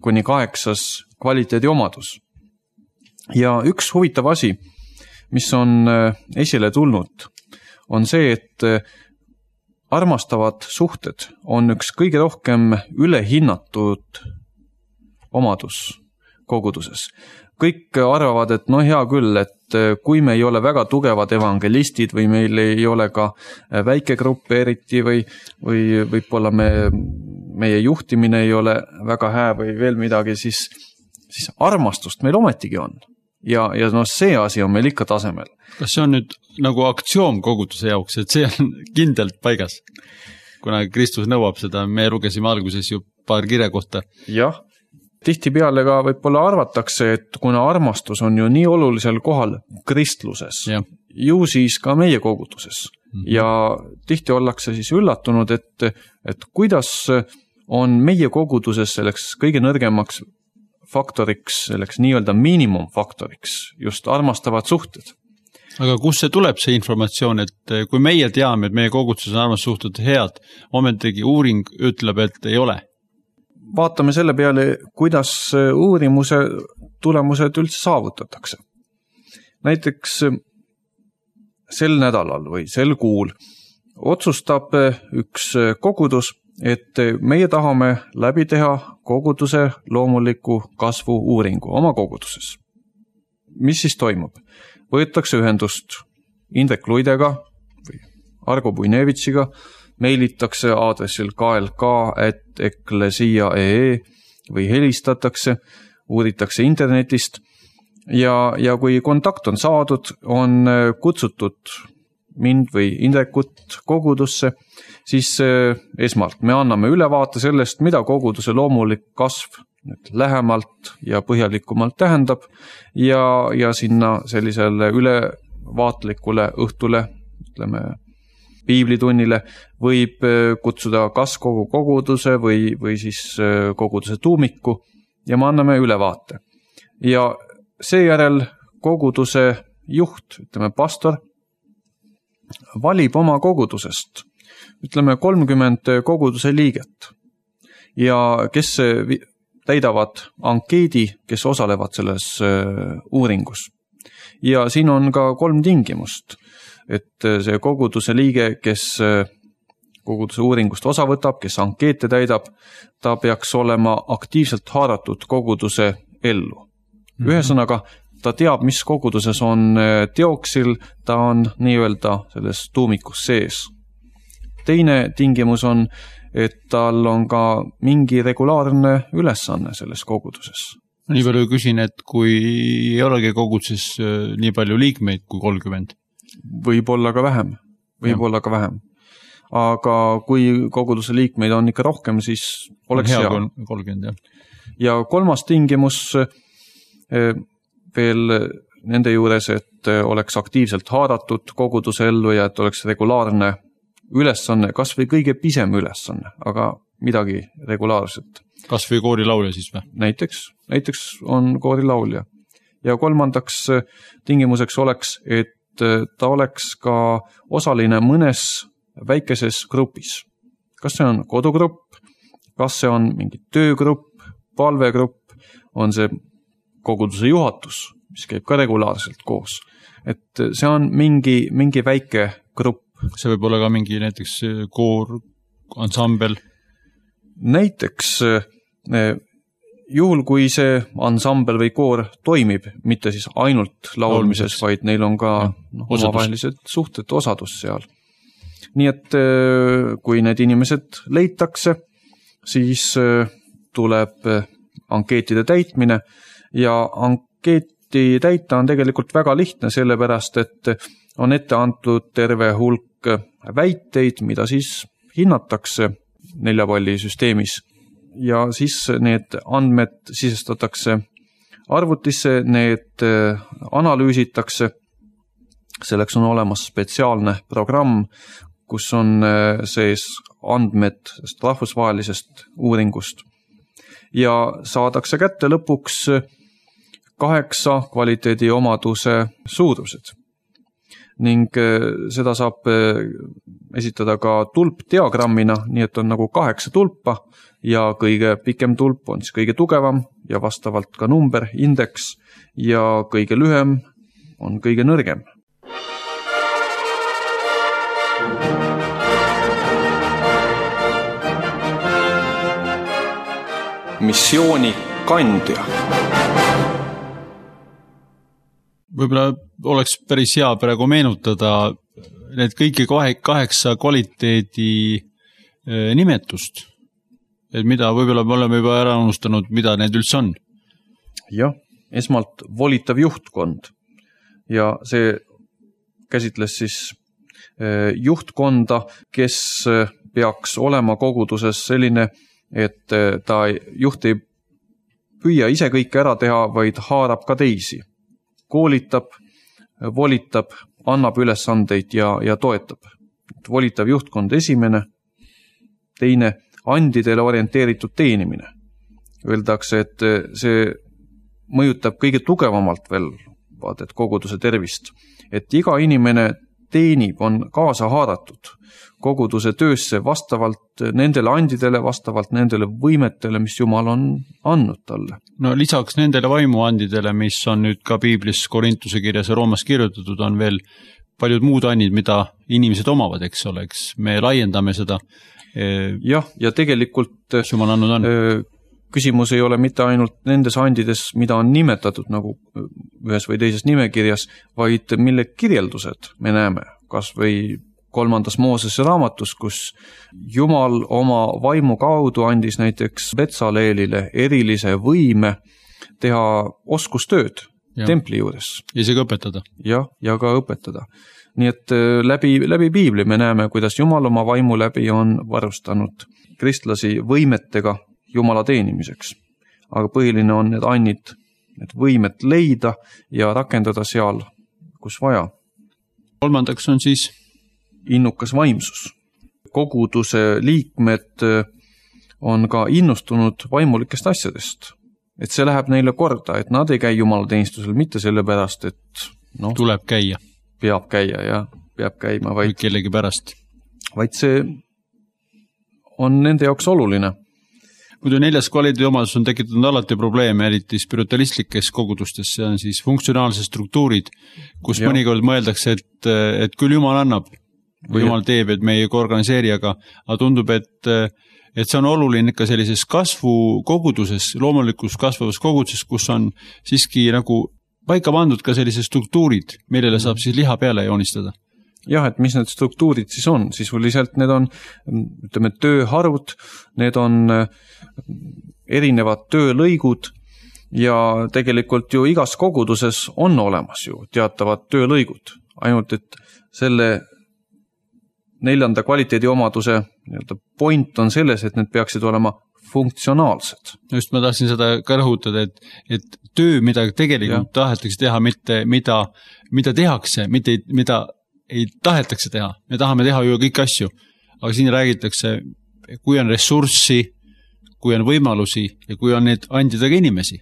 kuni 8 kvaliteedi omadus. Ja üks huvitav asi, mis on esile tulnud, on see, et armastavad suhted on üks kõige rohkem ülehinnatud omadus koguduses. Kõik arvavad, et no hea küll, et kui me ei ole väga tugevad evangelistid või meil ei ole ka väike grupp eriti või võib-olla meie juhtimine ei ole väga hää või veel midagi, siis armastust meil ometigi on. Ja no see asi on meil ikka tasemel. Kas see on nüüd nagu aktsioom koguduse jaoks, et see on kindlalt paigas? Kuna Kristus nõuab seda, me lugesime alguses ju paar kirja kohta. Jah, tihtipeale ka võib-olla arvatakse, et kuna armastus on ju nii olulisel kohal kristluses, ju siis ka meie koguduses. Ja tihti ollakse siis üllatunud, et kuidas on meie koguduses selleks kõige nõrgemaks faktoriks, selleks nii-öelda miinimumfaktoriks, just armastavad suhted. Aga kus see tuleb see informatsioon, et kui meie teame, et meie koguduses on armastussuhted head, ometigi uuring ütleb, et ei ole? Vaatame selle peale, kuidas uurimuse tulemused üldse saavutatakse. Näiteks sel nädalal või sel kuul otsustab üks kogudus, et meie tahame läbi teha koguduse loomuliku kasvu uuringu oma koguduses. Mis siis toimub? Võetakse ühendust Indrek Luidega või Argo Buinevitšiga, meilitakse aadressil klk@eklesia.ee või helistatakse, uuritakse internetist ja kui kontakt on saadud, on kutsutud mind või Indrekut kogudusse, siis esmalt me anname ülevaate sellest, mida koguduse loomulik kasv lähemalt ja põhjalikumalt tähendab ja sinna sellisele ülevaatlikule õhtule, ütleme, piiblitunnile võib kutsuda kas kogu koguduse või siis koguduse tuumiku ja me anname ülevaate. Ja seejärel koguduse juht, ütleme pastor, valib oma kogudusest, ütleme 30 koguduse liiget ja kes täidavad ankeedi, kes osalevad selles uuringus. Ja siin on ka 3 tingimust, et see koguduse liige, kes koguduse uuringust osa võtab, kes ankeete täidab, ta peaks olema aktiivselt haaratud koguduse ellu. Ühesõnaga, ta teab, mis koguduses on teoksil, ta on nii-öelda selles tuumikus sees. Teine tingimus on, et tal on ka mingi regulaarne ülesanne selles koguduses. Nii palju küsin, et kui ei olegi koguduses nii palju liikmeid kui 30? Võib-olla ka vähem. Aga kui koguduse liikmeid on ikka rohkem, siis oleks hea. 30, jah. Ja 3. tingimus veel nende juures, et oleks aktiivselt haaratud koguduse ellu ja et oleks regulaarne ülesanne, kas või kõige pisem ülesanne, aga midagi regulaarset. Kas või koorilaulja siis või? Näiteks on koorilaulja. Ja 3. tingimuseks oleks, et ta oleks ka osaline mõnes väikeses grupis. Kas see on kodugrupp, kas see on mingi töögrupp, palvegrupp, on see koguduse juhatus, mis käib ka regulaarselt koos. Et see on mingi väike grupp. See võib olla ka mingi näiteks koor, ansambel? Näiteks juhul, kui see ansambel või koor toimib, mitte siis ainult laulmises, vaid neil on ka omavahelised suhted, osadus seal. Nii et kui need inimesed leitakse, siis tuleb ankeetide täitmine ja ankeeti täita on tegelikult väga lihtne, sellepärast et on ette antud terve hulk väiteid, mida siis hinnatakse 4 palli süsteemis ja siis need andmed sisestatakse arvutisse, need analüüsitakse. Selleks on olemas spetsiaalne programm, kus on sees andmed rahvusvahelisest uuringust ja saadakse kätte lõpuks 8 kvaliteediomaduse suurused. Ning seda saab esitada ka tulpdiagrammina, nii et on nagu 8 tulpa ja kõige pikem tulp on siis kõige tugevam ja vastavalt ka number, indeks ja kõige lühem on kõige nõrgem. Missiooni kandja. Võib-olla oleks päris hea praegu meenutada need kõiki 8 kvaliteedi nimetust. Et mida võib-olla me oleme juba ära unustanud, mida need üldse on? Jah, esmalt volitav juhtkond ja see käsitles siis juhtkonda, kes peaks olema koguduses selline, et ta juht ei püüa ise kõike ära teha, vaid haarab ka teisi. Koolitab, volitab, annab ülesandeid ja toetab. Volitav juhtkond esimene, teine andidele orienteeritud teenimine. Öeldakse, et see mõjutab kõige tugevamalt veel vaadet koguduse tervist, et iga inimene teenib, on kaasa haaratud koguduse töösse vastavalt nendele andidele, vastavalt nendele võimetele, mis Jumal on andnud talle. No lisaks nendele vaimuandidele, mis on nüüd ka Piiblis Korintuse kirjas ja Roomas kirjutatud, on veel paljud muud annid, mida inimesed omavad, eks ole, eks me laiendame seda. Jah, ja tegelikult Jumal andnud on. Küsimus ei ole mitte ainult nendes andides, mida on nimetatud nagu ühes või teises nimekirjas, vaid mille kirjeldused me näeme, kas või 3. Moosese raamatus, kus Jumal oma vaimu kaudu andis näiteks Betsaleelile erilise võime teha oskustööd templi juures. Isegi õpetada. Ja ka õpetada. Nii et läbi Piibli me näeme, kuidas Jumal oma vaimu läbi on varustanud kristlasi võimetega Jumala teenimiseks. Aga põhiline on need annid, need võimet leida ja rakendada seal, kus vaja. 3. on siis innukas vaimsus. Koguduse liikmed on ka innustunud vaimulikest asjadest. Et see läheb neile korda, et nad ei käi Jumala teenistusel mitte sellepärast, et tuleb käia. Peab käia ja peab käima, vaid kellegi pärast. Vaid see on nende jaoks oluline. Muidu 4. kvaliteedi omadus on tekitanud alati probleeme, eriti spiritualistlikes kogudustes, see on siis funktsionaalsed struktuurid, kus mõnikord mõeldakse, et küll Jumal annab, või Jumal teeb, et me ei organiseeri, aga tundub, et see on oluline ikka sellises kasvukoguduses, loomulikus kasvavas koguduses, kus on siiski nagu paika pandud ka sellised struktuurid, millele saab siis liha peale joonistada. Jah, et mis need struktuurid siis on? Sisuliselt need on, ütleme, tööharud, need on erinevad töölõigud ja tegelikult ju igas koguduses on olemas ju teatavad töölõigud. Ainult, et selle 4. kvaliteedi omaduse point on selles, et need peaksid olema funktsionaalsed. Just ma tahtsin seda ka rõhutada, et töö, mida tegelikult tahetakse teha, mitte mida tehakse, mitte mida ei tahetakse teha. Me tahame teha ju kõik asju, aga siin räägitakse, kui on ressurssi, kui on võimalusi ja kui on need andidega inimesi,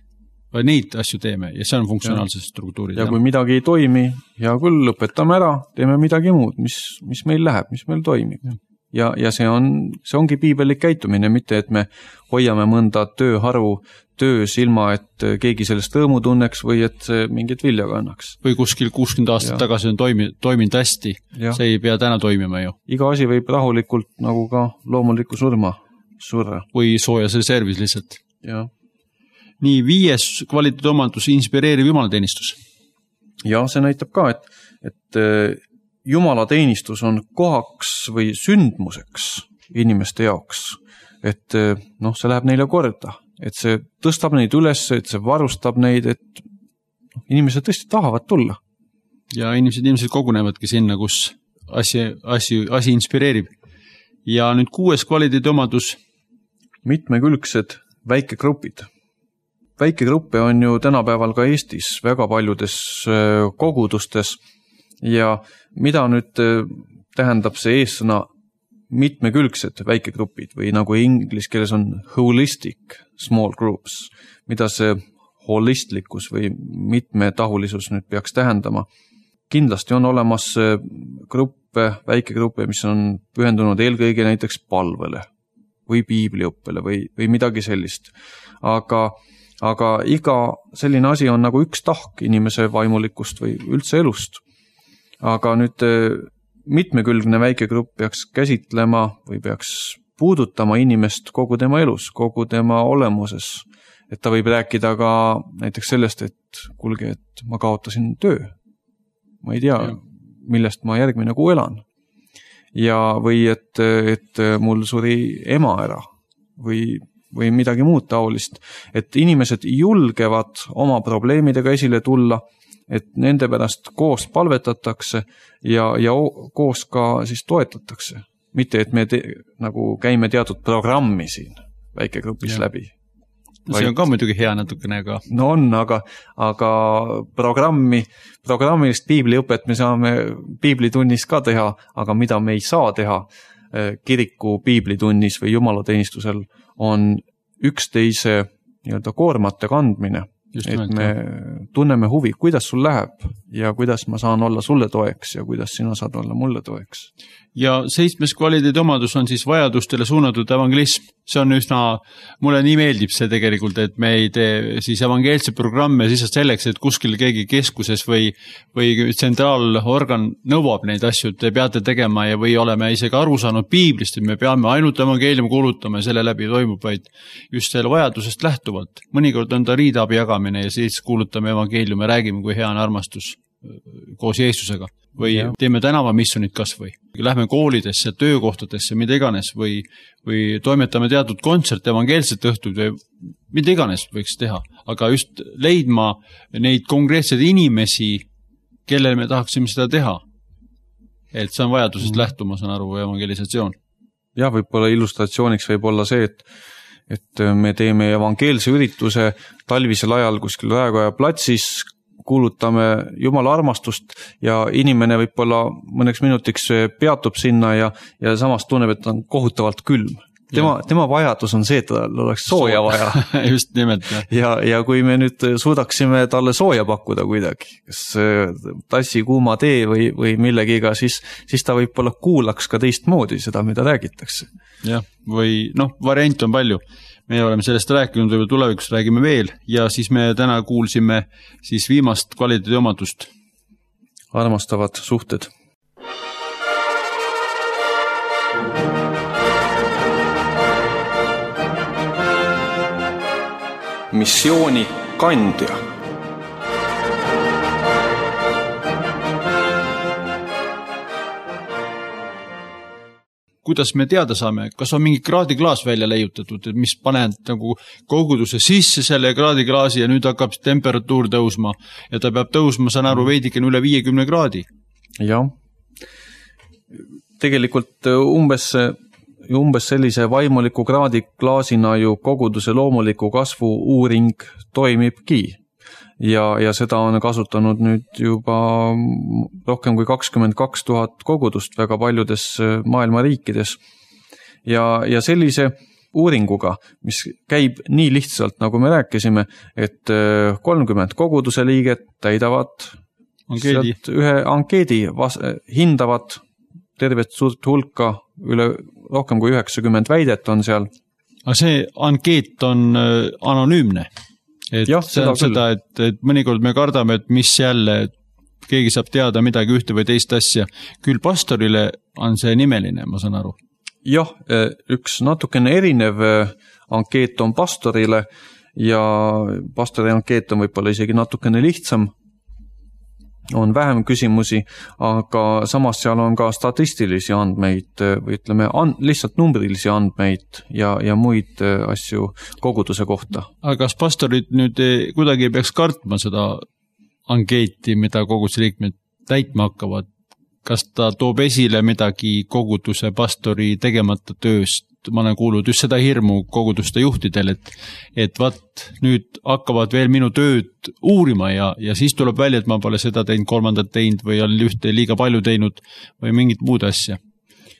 vaid neid asju teeme ja see on funktsionaalsed struktuurid. Ja kui midagi ei toimi, ja küll lõpetame ära, teeme midagi muud, mis meil läheb, mis meil toimib. Ja see ongi piibelik käitumine, mitte et me hoiame mõnda tööharu töös ilma, et keegi sellest rõõmu tunneks või et see mingit vilja kannaks. Või kuskil 60 aastat tagasi on toiminud hästi, see ei pea täna toimima ju. Iga asi võib rahulikult nagu ka loomuliku surma. Või soojas reservis lihtsalt. Ja. Nii 5. kvaliteedi omadus inspireeriv jumalateenistus. Ja see näitab ka, et jumalateenistus on kohaks või sündmuseks inimeste jaoks. Et see läheb neile korda, et see tõstab neid üles, et see varustab neid, et inimesed tõesti tahavad tulla. Ja inimesed kogunevadki sinna, kus asi inspireerib. Ja nüüd 6. kvaliteedi omadus. Mitmekülgsed väikegrupid. Väikegruppe on ju tänapäeval ka Eestis väga paljudes kogudustes ja mida nüüd tähendab see eessõna mitmekülgsed väikegrupid või nagu inglise keeles on holistic small groups, mida see holistlikkus või mitmetahulisus nüüd peaks tähendama. Kindlasti on olemas gruppe, väikegruppe, mis on pühendunud eelkõige näiteks palvele või piibliõppele või midagi sellist. Aga iga selline asi on nagu üks tahk inimese vaimulikust või üldse elust. Aga nüüd mitmekülgne väikegrupp peaks käsitlema või peaks puudutama inimest kogu tema elus, kogu tema olemuses. Et ta võib rääkida ka näiteks sellest, et kuulge, et ma kaotasin töö. Ma ei tea, millest ma järgmine kuu elan. Ja või et mul suri ema ära või midagi muud taolist. Et inimesed julgevad oma probleemidega esile tulla, et nende pärast koos palvetatakse ja koos ka siis toetatakse. Mitte, et me nagu käime teatud programmi siin väikegrupis läbi. See on ka muidugi hea natukene, aga... No on, aga programmilist piibliõpet me saame piiblitunnis ka teha, aga mida me ei saa teha kiriku piiblitunnis või jumalateenistusel on üksteise koormate kandmine Just et nimelt, me tunneme huvi, kuidas sul läheb ja kuidas ma saan olla sulle toeks ja kuidas sina saad olla mulle toeks. Ja 7. kvaliteedi omadus on siis vajadustele suunatud evangelism. See on üsna, mulle nii meeldib see tegelikult, et me ei tee siis evangeelse programme siis selleks, et kuskil keegi keskuses või tsentraalorgan nõuab neid asju, et te peate tegema ja või oleme isegi aru saanud piiblist, et me peame ainult evangeeliumi kuulutama ja selle läbi toimub, vaid just selle vajadusest lähtuvalt. Mõnikord on ta riidabi jagamine ja siis kuulutame evangeeliumi ja räägime, kui hea on armastus koos Jeesusega või teeme tänavamissionid kas või. Lähme koolidesse, töökohtadesse, mida iganes või toimetame teatud kontsert evangeelset õhtud või mida iganes võiks teha. Aga just leidma neid konkreetseid inimesi, kellele me tahaksime seda teha. Et see on vajadusest lähtuma, saan aru, evangelisatsioon. Ja võib-olla illustratsiooniks võib olla see, et me teeme evangeelse ürituse talvisel ajal kuskil Raekoja platsis, kuulutame Jumala armastust ja inimene võib-olla mõneks minutiks peatub sinna ja samas tunneb, et on kohutavalt külm. Tema vajadus on see, et tal oleks sooja vaja. Just nimelt. Ja kui me nüüd suudaksime talle sooja pakkuda kuidagi, kas tassi kuuma tee või millegiga, siis ta võib-olla kuulaks ka teistmoodi seda, mida räägitakse. Jah, või variant on palju. Me oleme sellest rääkinud, või tulevikus räägime veel ja siis me täna kuulsime siis viimast kvaliteedi omadust. Armastavad suhted. Missiooni kandja. Kuidas me teada saame, kas on mingi kraadiklaas välja leiutatud, et mis paned nagu koguduse sisse selle kraadiklaasi ja nüüd hakkab temperatuur tõusma ja ta peab tõusma, saan aru, veidikene üle 50 kraadi. Jah. Tegelikult umbes sellise vaimuliku kraadiklaasina ju koguduse loomuliku kasvu uuring toimibki. Ja seda on kasutanud nüüd juba rohkem kui 22 000 kogudust väga paljudes maailma riikides. Ja sellise uuringuga, mis käib nii lihtsalt, nagu me rääkisime, et 30 koguduse liiget täidavad ühe ankeedi, hindavad tervet suurt hulka, üle rohkem kui 90 väidet on seal. Aga see ankeet on anonüümne? Et see on seda, et mõnikord me kardame, et mis jälle, et keegi saab teada midagi ühte või teist asja. Küll pastorile on see nimeline, ma saan aru. Jah, üks natukene erinev ankeet on pastorile ja pastori ankeet on võib-olla isegi natukene lihtsam. On vähem küsimusi, aga samas seal on ka statistilisi andmeid või ütleme lihtsalt numbrilisi andmeid ja muid asju koguduse kohta. Aga kas pastorid nüüd kuidagi ei peaks kartma seda ankeeti, mida koguduse liikmed täitma hakkavad? Kas ta toob esile midagi koguduse pastori tegemata tööst? Ma olen kuulnud just seda hirmu koguduste juhtidel, et nüüd hakkavad veel minu tööd uurima ja siis tuleb välja, et ma pole seda teinud, kolmandat teinud või olen ühte liiga palju teinud või mingit muud asja.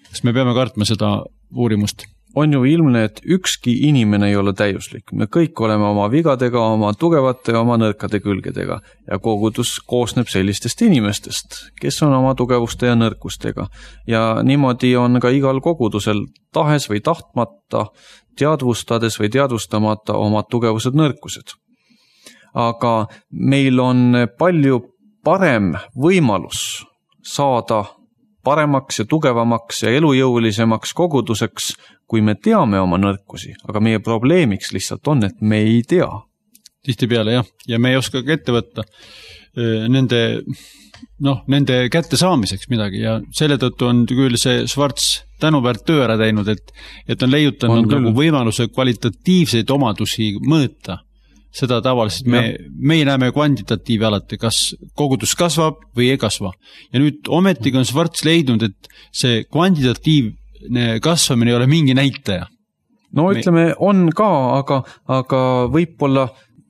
Kas me peame kartma seda uurimust? On ju ilmne, et ükski inimene ei ole täiuslik. Me kõik oleme oma vigadega, oma tugevate ja oma nõrkade külgedega ja kogudus koosneb sellistest inimestest, kes on oma tugevuste ja nõrkustega. Ja niimoodi on ka igal kogudusel tahes või tahtmata, teadvustades või teadvustamata oma tugevused nõrkused. Aga meil on palju parem võimalus saada paremaks ja tugevamaks ja elujõulisemaks koguduseks, kui me teame oma nõrkusi, aga meie probleemiks lihtsalt on, et me ei tea. Tihtipeale jah, ja me ei oska ka ette võtta nende kätte saamiseks midagi ja selle tõttu on küll see Schwartz tänuväärt töö ära teinud, et on leiutanud nagu võimaluse kvalitatiivseid omadusi mõõta. Seda tavaliselt me näeme kvantitatiivi alati, kas kogudus kasvab või ei kasva. Ja nüüd ometigi on Schwartz leidnud, et see kvantitatiivne kasvamine ei ole mingi näitaja. No ütleme, on ka, aga võib-olla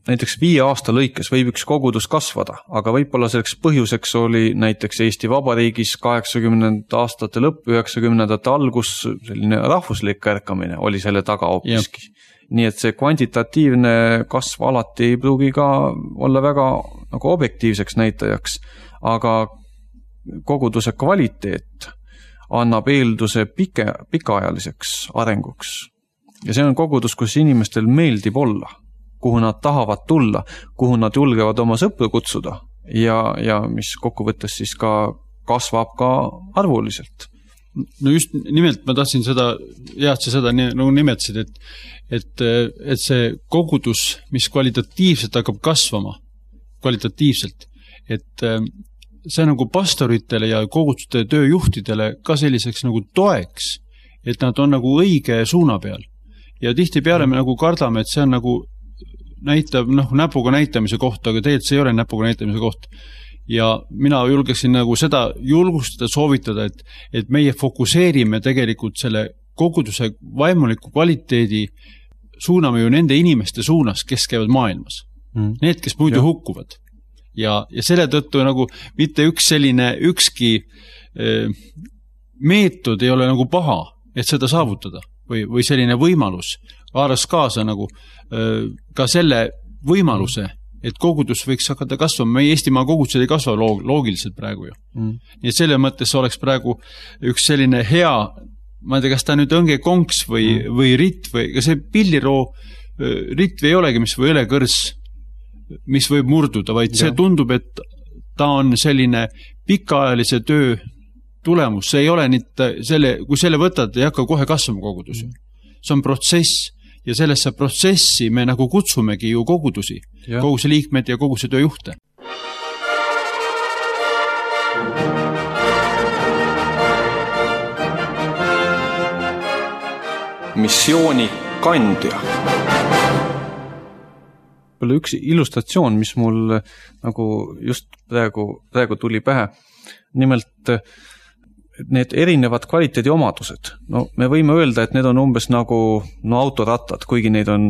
näiteks 5 aasta lõikes võib üks kogudus kasvada, aga võib-olla selleks põhjuseks oli näiteks Eesti Vabariigis 80. aastate lõpp, 90. algus selline rahvuslik ärkamine oli selle taga hoopiski. nii et see kvantitatiivne kasv alati ei pruugi ka olla väga nagu objektiivseks näitajaks, aga koguduse kvaliteet annab eelduse pikaajaliseks arenguks. Ja see on kogudus, kus inimestel meeldib olla, kuhu nad tahavad tulla, kuhu nad julgevad oma sõpru kutsuda ja mis kokkuvõttes siis ka kasvab ka arvuliselt. No just nimelt ma tahtsin seda, sa seda nagu nimetasid, et see kogudus, mis kvalitatiivselt hakkab kasvama, kvalitatiivselt, et see nagu pastoritele ja koguduste tööjuhtidele ka selliseks nagu toeks, et nad on nagu õige suuna peal. Ja tihtipeale me nagu kardame, et see on nagu näitab, näpuga näitamise koht, aga tegelikult see ei ole näpuga näitamise koht. Ja mina julgeksin nagu seda julgustada, soovitada, et meie fokuseerime tegelikult selle koguduse vaimuliku kvaliteedi, suuname ju nende inimeste suunas, kes käivad maailmas. Need, kes muidu hukkuvad. Ja selle tõttu nagu mitte ükski meetod ei ole nagu paha, et seda saavutada või selline võimalus haaras kaasa nagu ka selle võimaluse, et kogudus võiks hakata kasvama. Meie Eestimaa kogudused ei kasva loogiliselt praegu ju. Nii et selle mõttes oleks praegu üks selline hea, ma ei tea, kas ta nüüd õnge konks või ritt või ka see pilliroo ritt ei olegi, mis või õlekõrs, mis võib murduda, vaid see tundub, et ta on selline pikaajalise töö tulemus. See ei ole kui selle võtad, ei hakka kohe kasvama kogudus. See on protsess. Ja sellesse protsessi me nagu kutsumegi ju kogudusi, koguse liikmed ja koguse tööjuhte. Missiooni kandja. Üks illustratsioon, mis mul nagu just praegu tuli pähe. Nimelt need erinevad kvaliteedi omadused. No, me võime öelda, et need on umbes nagu autorattad, kuigi neid on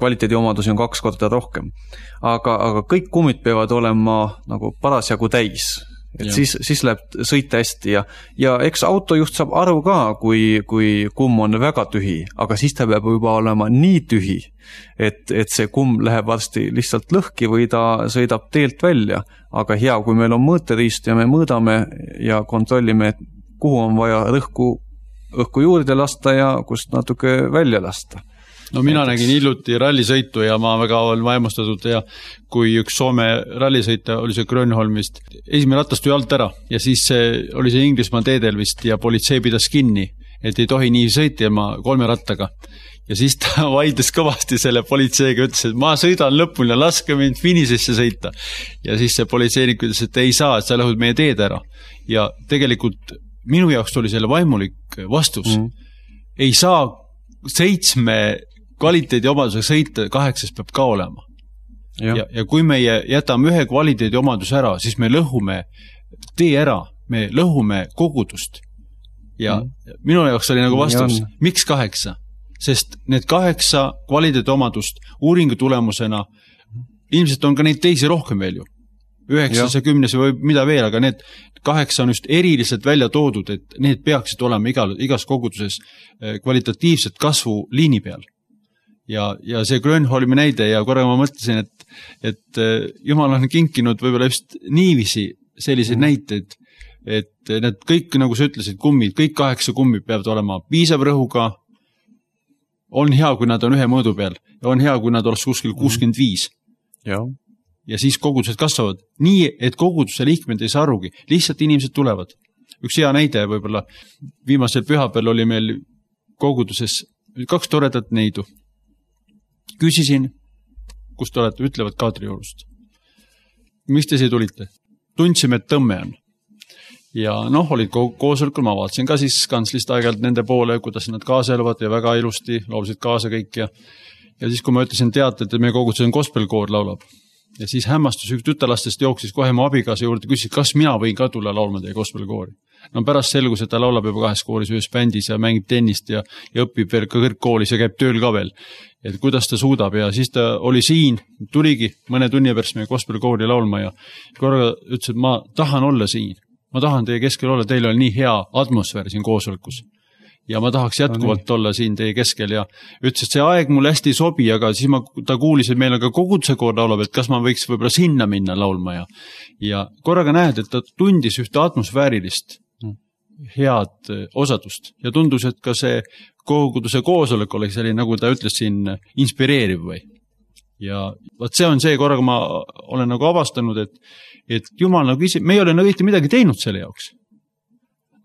kvaliteedi omadusi on 2 korda rohkem. Aga kõik kummid peavad olema nagu parasjagu täis. Et siis läheb sõita hästi ja eks autojuht saab aru ka, kui kumm on väga tühi, aga siis ta peab juba olema nii tühi, et see kumm läheb varsti lihtsalt lõhki või ta sõidab teelt välja. Aga hea, kui meil on mõõteriist ja me mõõdame ja kontrollime, kuhu on vaja õhku juurde lasta ja kust natuke välja lasta. No mina nägin hiljuti rallisõitu ja ma väga olen vaimustatud ja kui üks Soome rallisõita oli see Grönholmist, esimene ratast tuli alt ära ja siis oli see Inglismaa teedel vist ja politsei pidas kinni, et ei tohi nii sõita ilma 3 rattaga. Ja siis ta vaidles kõvasti selle politseiga, ütles, et ma sõidan lõpuni ja laske mind finisesse sõita. Ja siis see politseinik ütles, et ei saa, et sa lõhud meie teed ära. Ja tegelikult minu jaoks oli selle vaimulik vastus. Ei saa 7 kvaliteedi omadusega sõita, 8 peab ka olema. Ja kui me jätame 1 kvaliteedi omadus ära, siis me lõhume tee ära, me lõhume kogudust. Ja minu jaoks oli nagu vastus, miks 8? Sest need 8 kvaliteedi omadust uuringu tulemusena, ilmselt on ka neid teisi rohkem veel ju. 9 ja 10 või mida veel, aga need 8 on just eriliselt välja toodud, et need peaksid olema igas koguduses kvalitatiivset kasvu liini peal. Ja see Grönholmi näide ja korra ma mõtlesin, et Jumal on kinkinud võib-olla just niiviisi selliseid näiteid, et need kõik, nagu sa ütlesid, kummid, kõik 8 kummid peavad olema piisav rõhuga, on hea, kui nad on 1 mõõdu peal ja on hea, kui nad oleks kuskil 65. Ja siis kogudused kasvavad nii, et koguduse liikmed ei saa arugi, lihtsalt inimesed tulevad. Üks hea näide võib-olla, viimasel pühapäeval oli meil koguduses 2 toredat neidu. Küsisin, kus te olete, ütlevad Kadriorust. Miks te siia tulite? Tundsime, et tõmme on. Ja olid koosolekul, ma vaatasin ka siis kantslist aegalt nende poole, kuidas nad kaasa eluvad ja väga ilusti laulsid kaasa kõik. Ja siis, kui ma ütlesin teate, et meie koguduses on gospelkoor laulab. Ja siis hämmastus üks tütarlastest jooksis kohe mu abikaasa juurde, küsis, kas mina võin ka tulla laulma teie gospelkoori. No pärast selgus, et ta laulab juba 2 kooris, 1 bändis ja mängib tennist ja õpib veel ka kõrgkoolis ja käib tööl ka veel. Et kuidas ta suudab ja siis ta oli siin, tuligi mõne tunni pärast meie gospelkoori laulma ja korraga ütles, et ma tahan olla siin. Ma tahan teie keskel olla, teil on nii hea atmosfäär siin koosolekus. ja ma tahaks jätkuvalt olla siin teie keskel ja ütles, et see aeg mulle hästi ei sobi, aga siis ta kuulis, et meil on ka koguduse koor laulab, et kas ma võiks võib-olla sinna minna laulma ja korraga näed, et ta tundis ühte atmosfäärilist head osadust ja tundus, et ka see koguduse koosolek oli selline, nagu ta ütles siin, inspireeriv või. Ja vaat see on see, korraga ma olen nagu avastanud, et Jumal nagu ise, me ei ole nagu midagi teinud selle jaoks.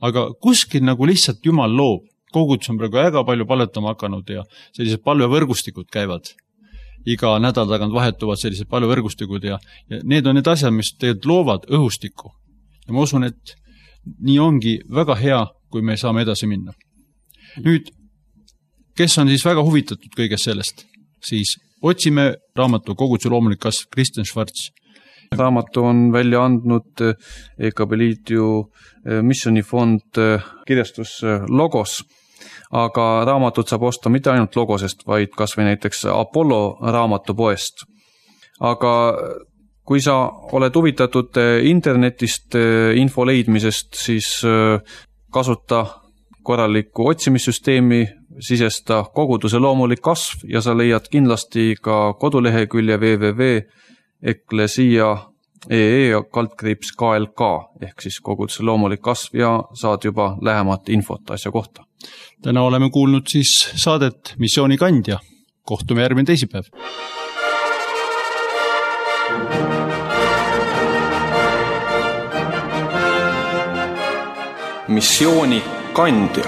Aga kuskil nagu lihtsalt Jumal loob. Kogudus on praegu väga palju palvetama hakanud ja sellised palvevõrgustikud käivad. Iga nädal tagant vahetuvad sellised palvevõrgustikud ja need on need asjad, mis tegelikult loovad õhustikku. Ja ma usun, et nii ongi väga hea, kui me saame edasi minna. Nüüd, kes on siis väga huvitatud kõigest sellest, siis otsime raamatu Koguduse loomulik kasv Kristjan Schwarz. Raamatu on välja andnud EKB Liidu missionifond kirjastus Logos, aga raamatut saab osta mitte ainult Logosest, vaid kas või näiteks Apollo raamatupoest. Aga kui sa oled huvitatud internetist info leidmisest, siis kasuta korralikku otsimissüsteemi, sisesta Koguduse loomulik kasv ja sa leiad kindlasti ka kodulehekülje www.eklesia.ee/KLK ehk siis Koguduse loomulik kasv ja saad juba lähemat infot asja kohta. Täna oleme kuulnud siis saadet Missioonikandja. Kohtume järgmine teisipäev. Missioonikandja.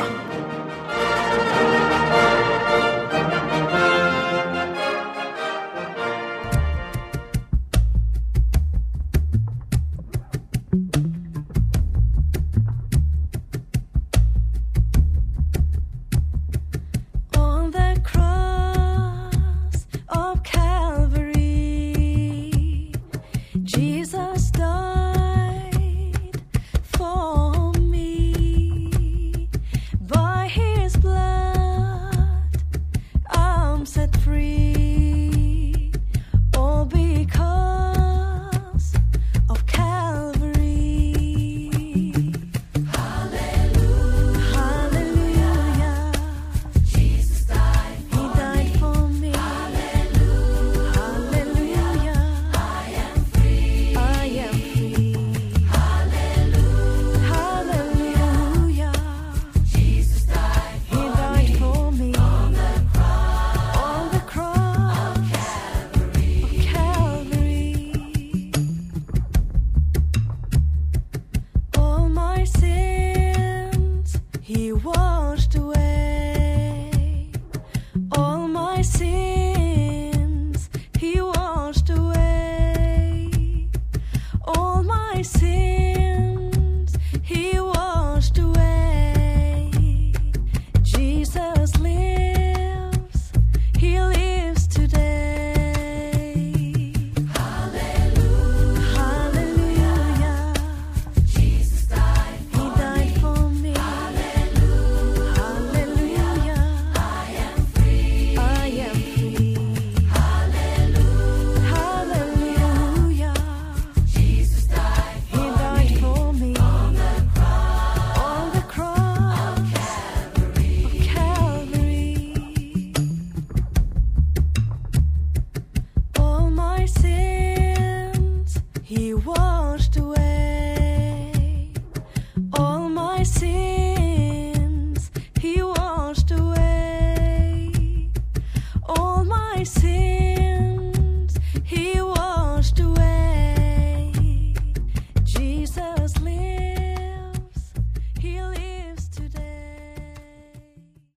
I see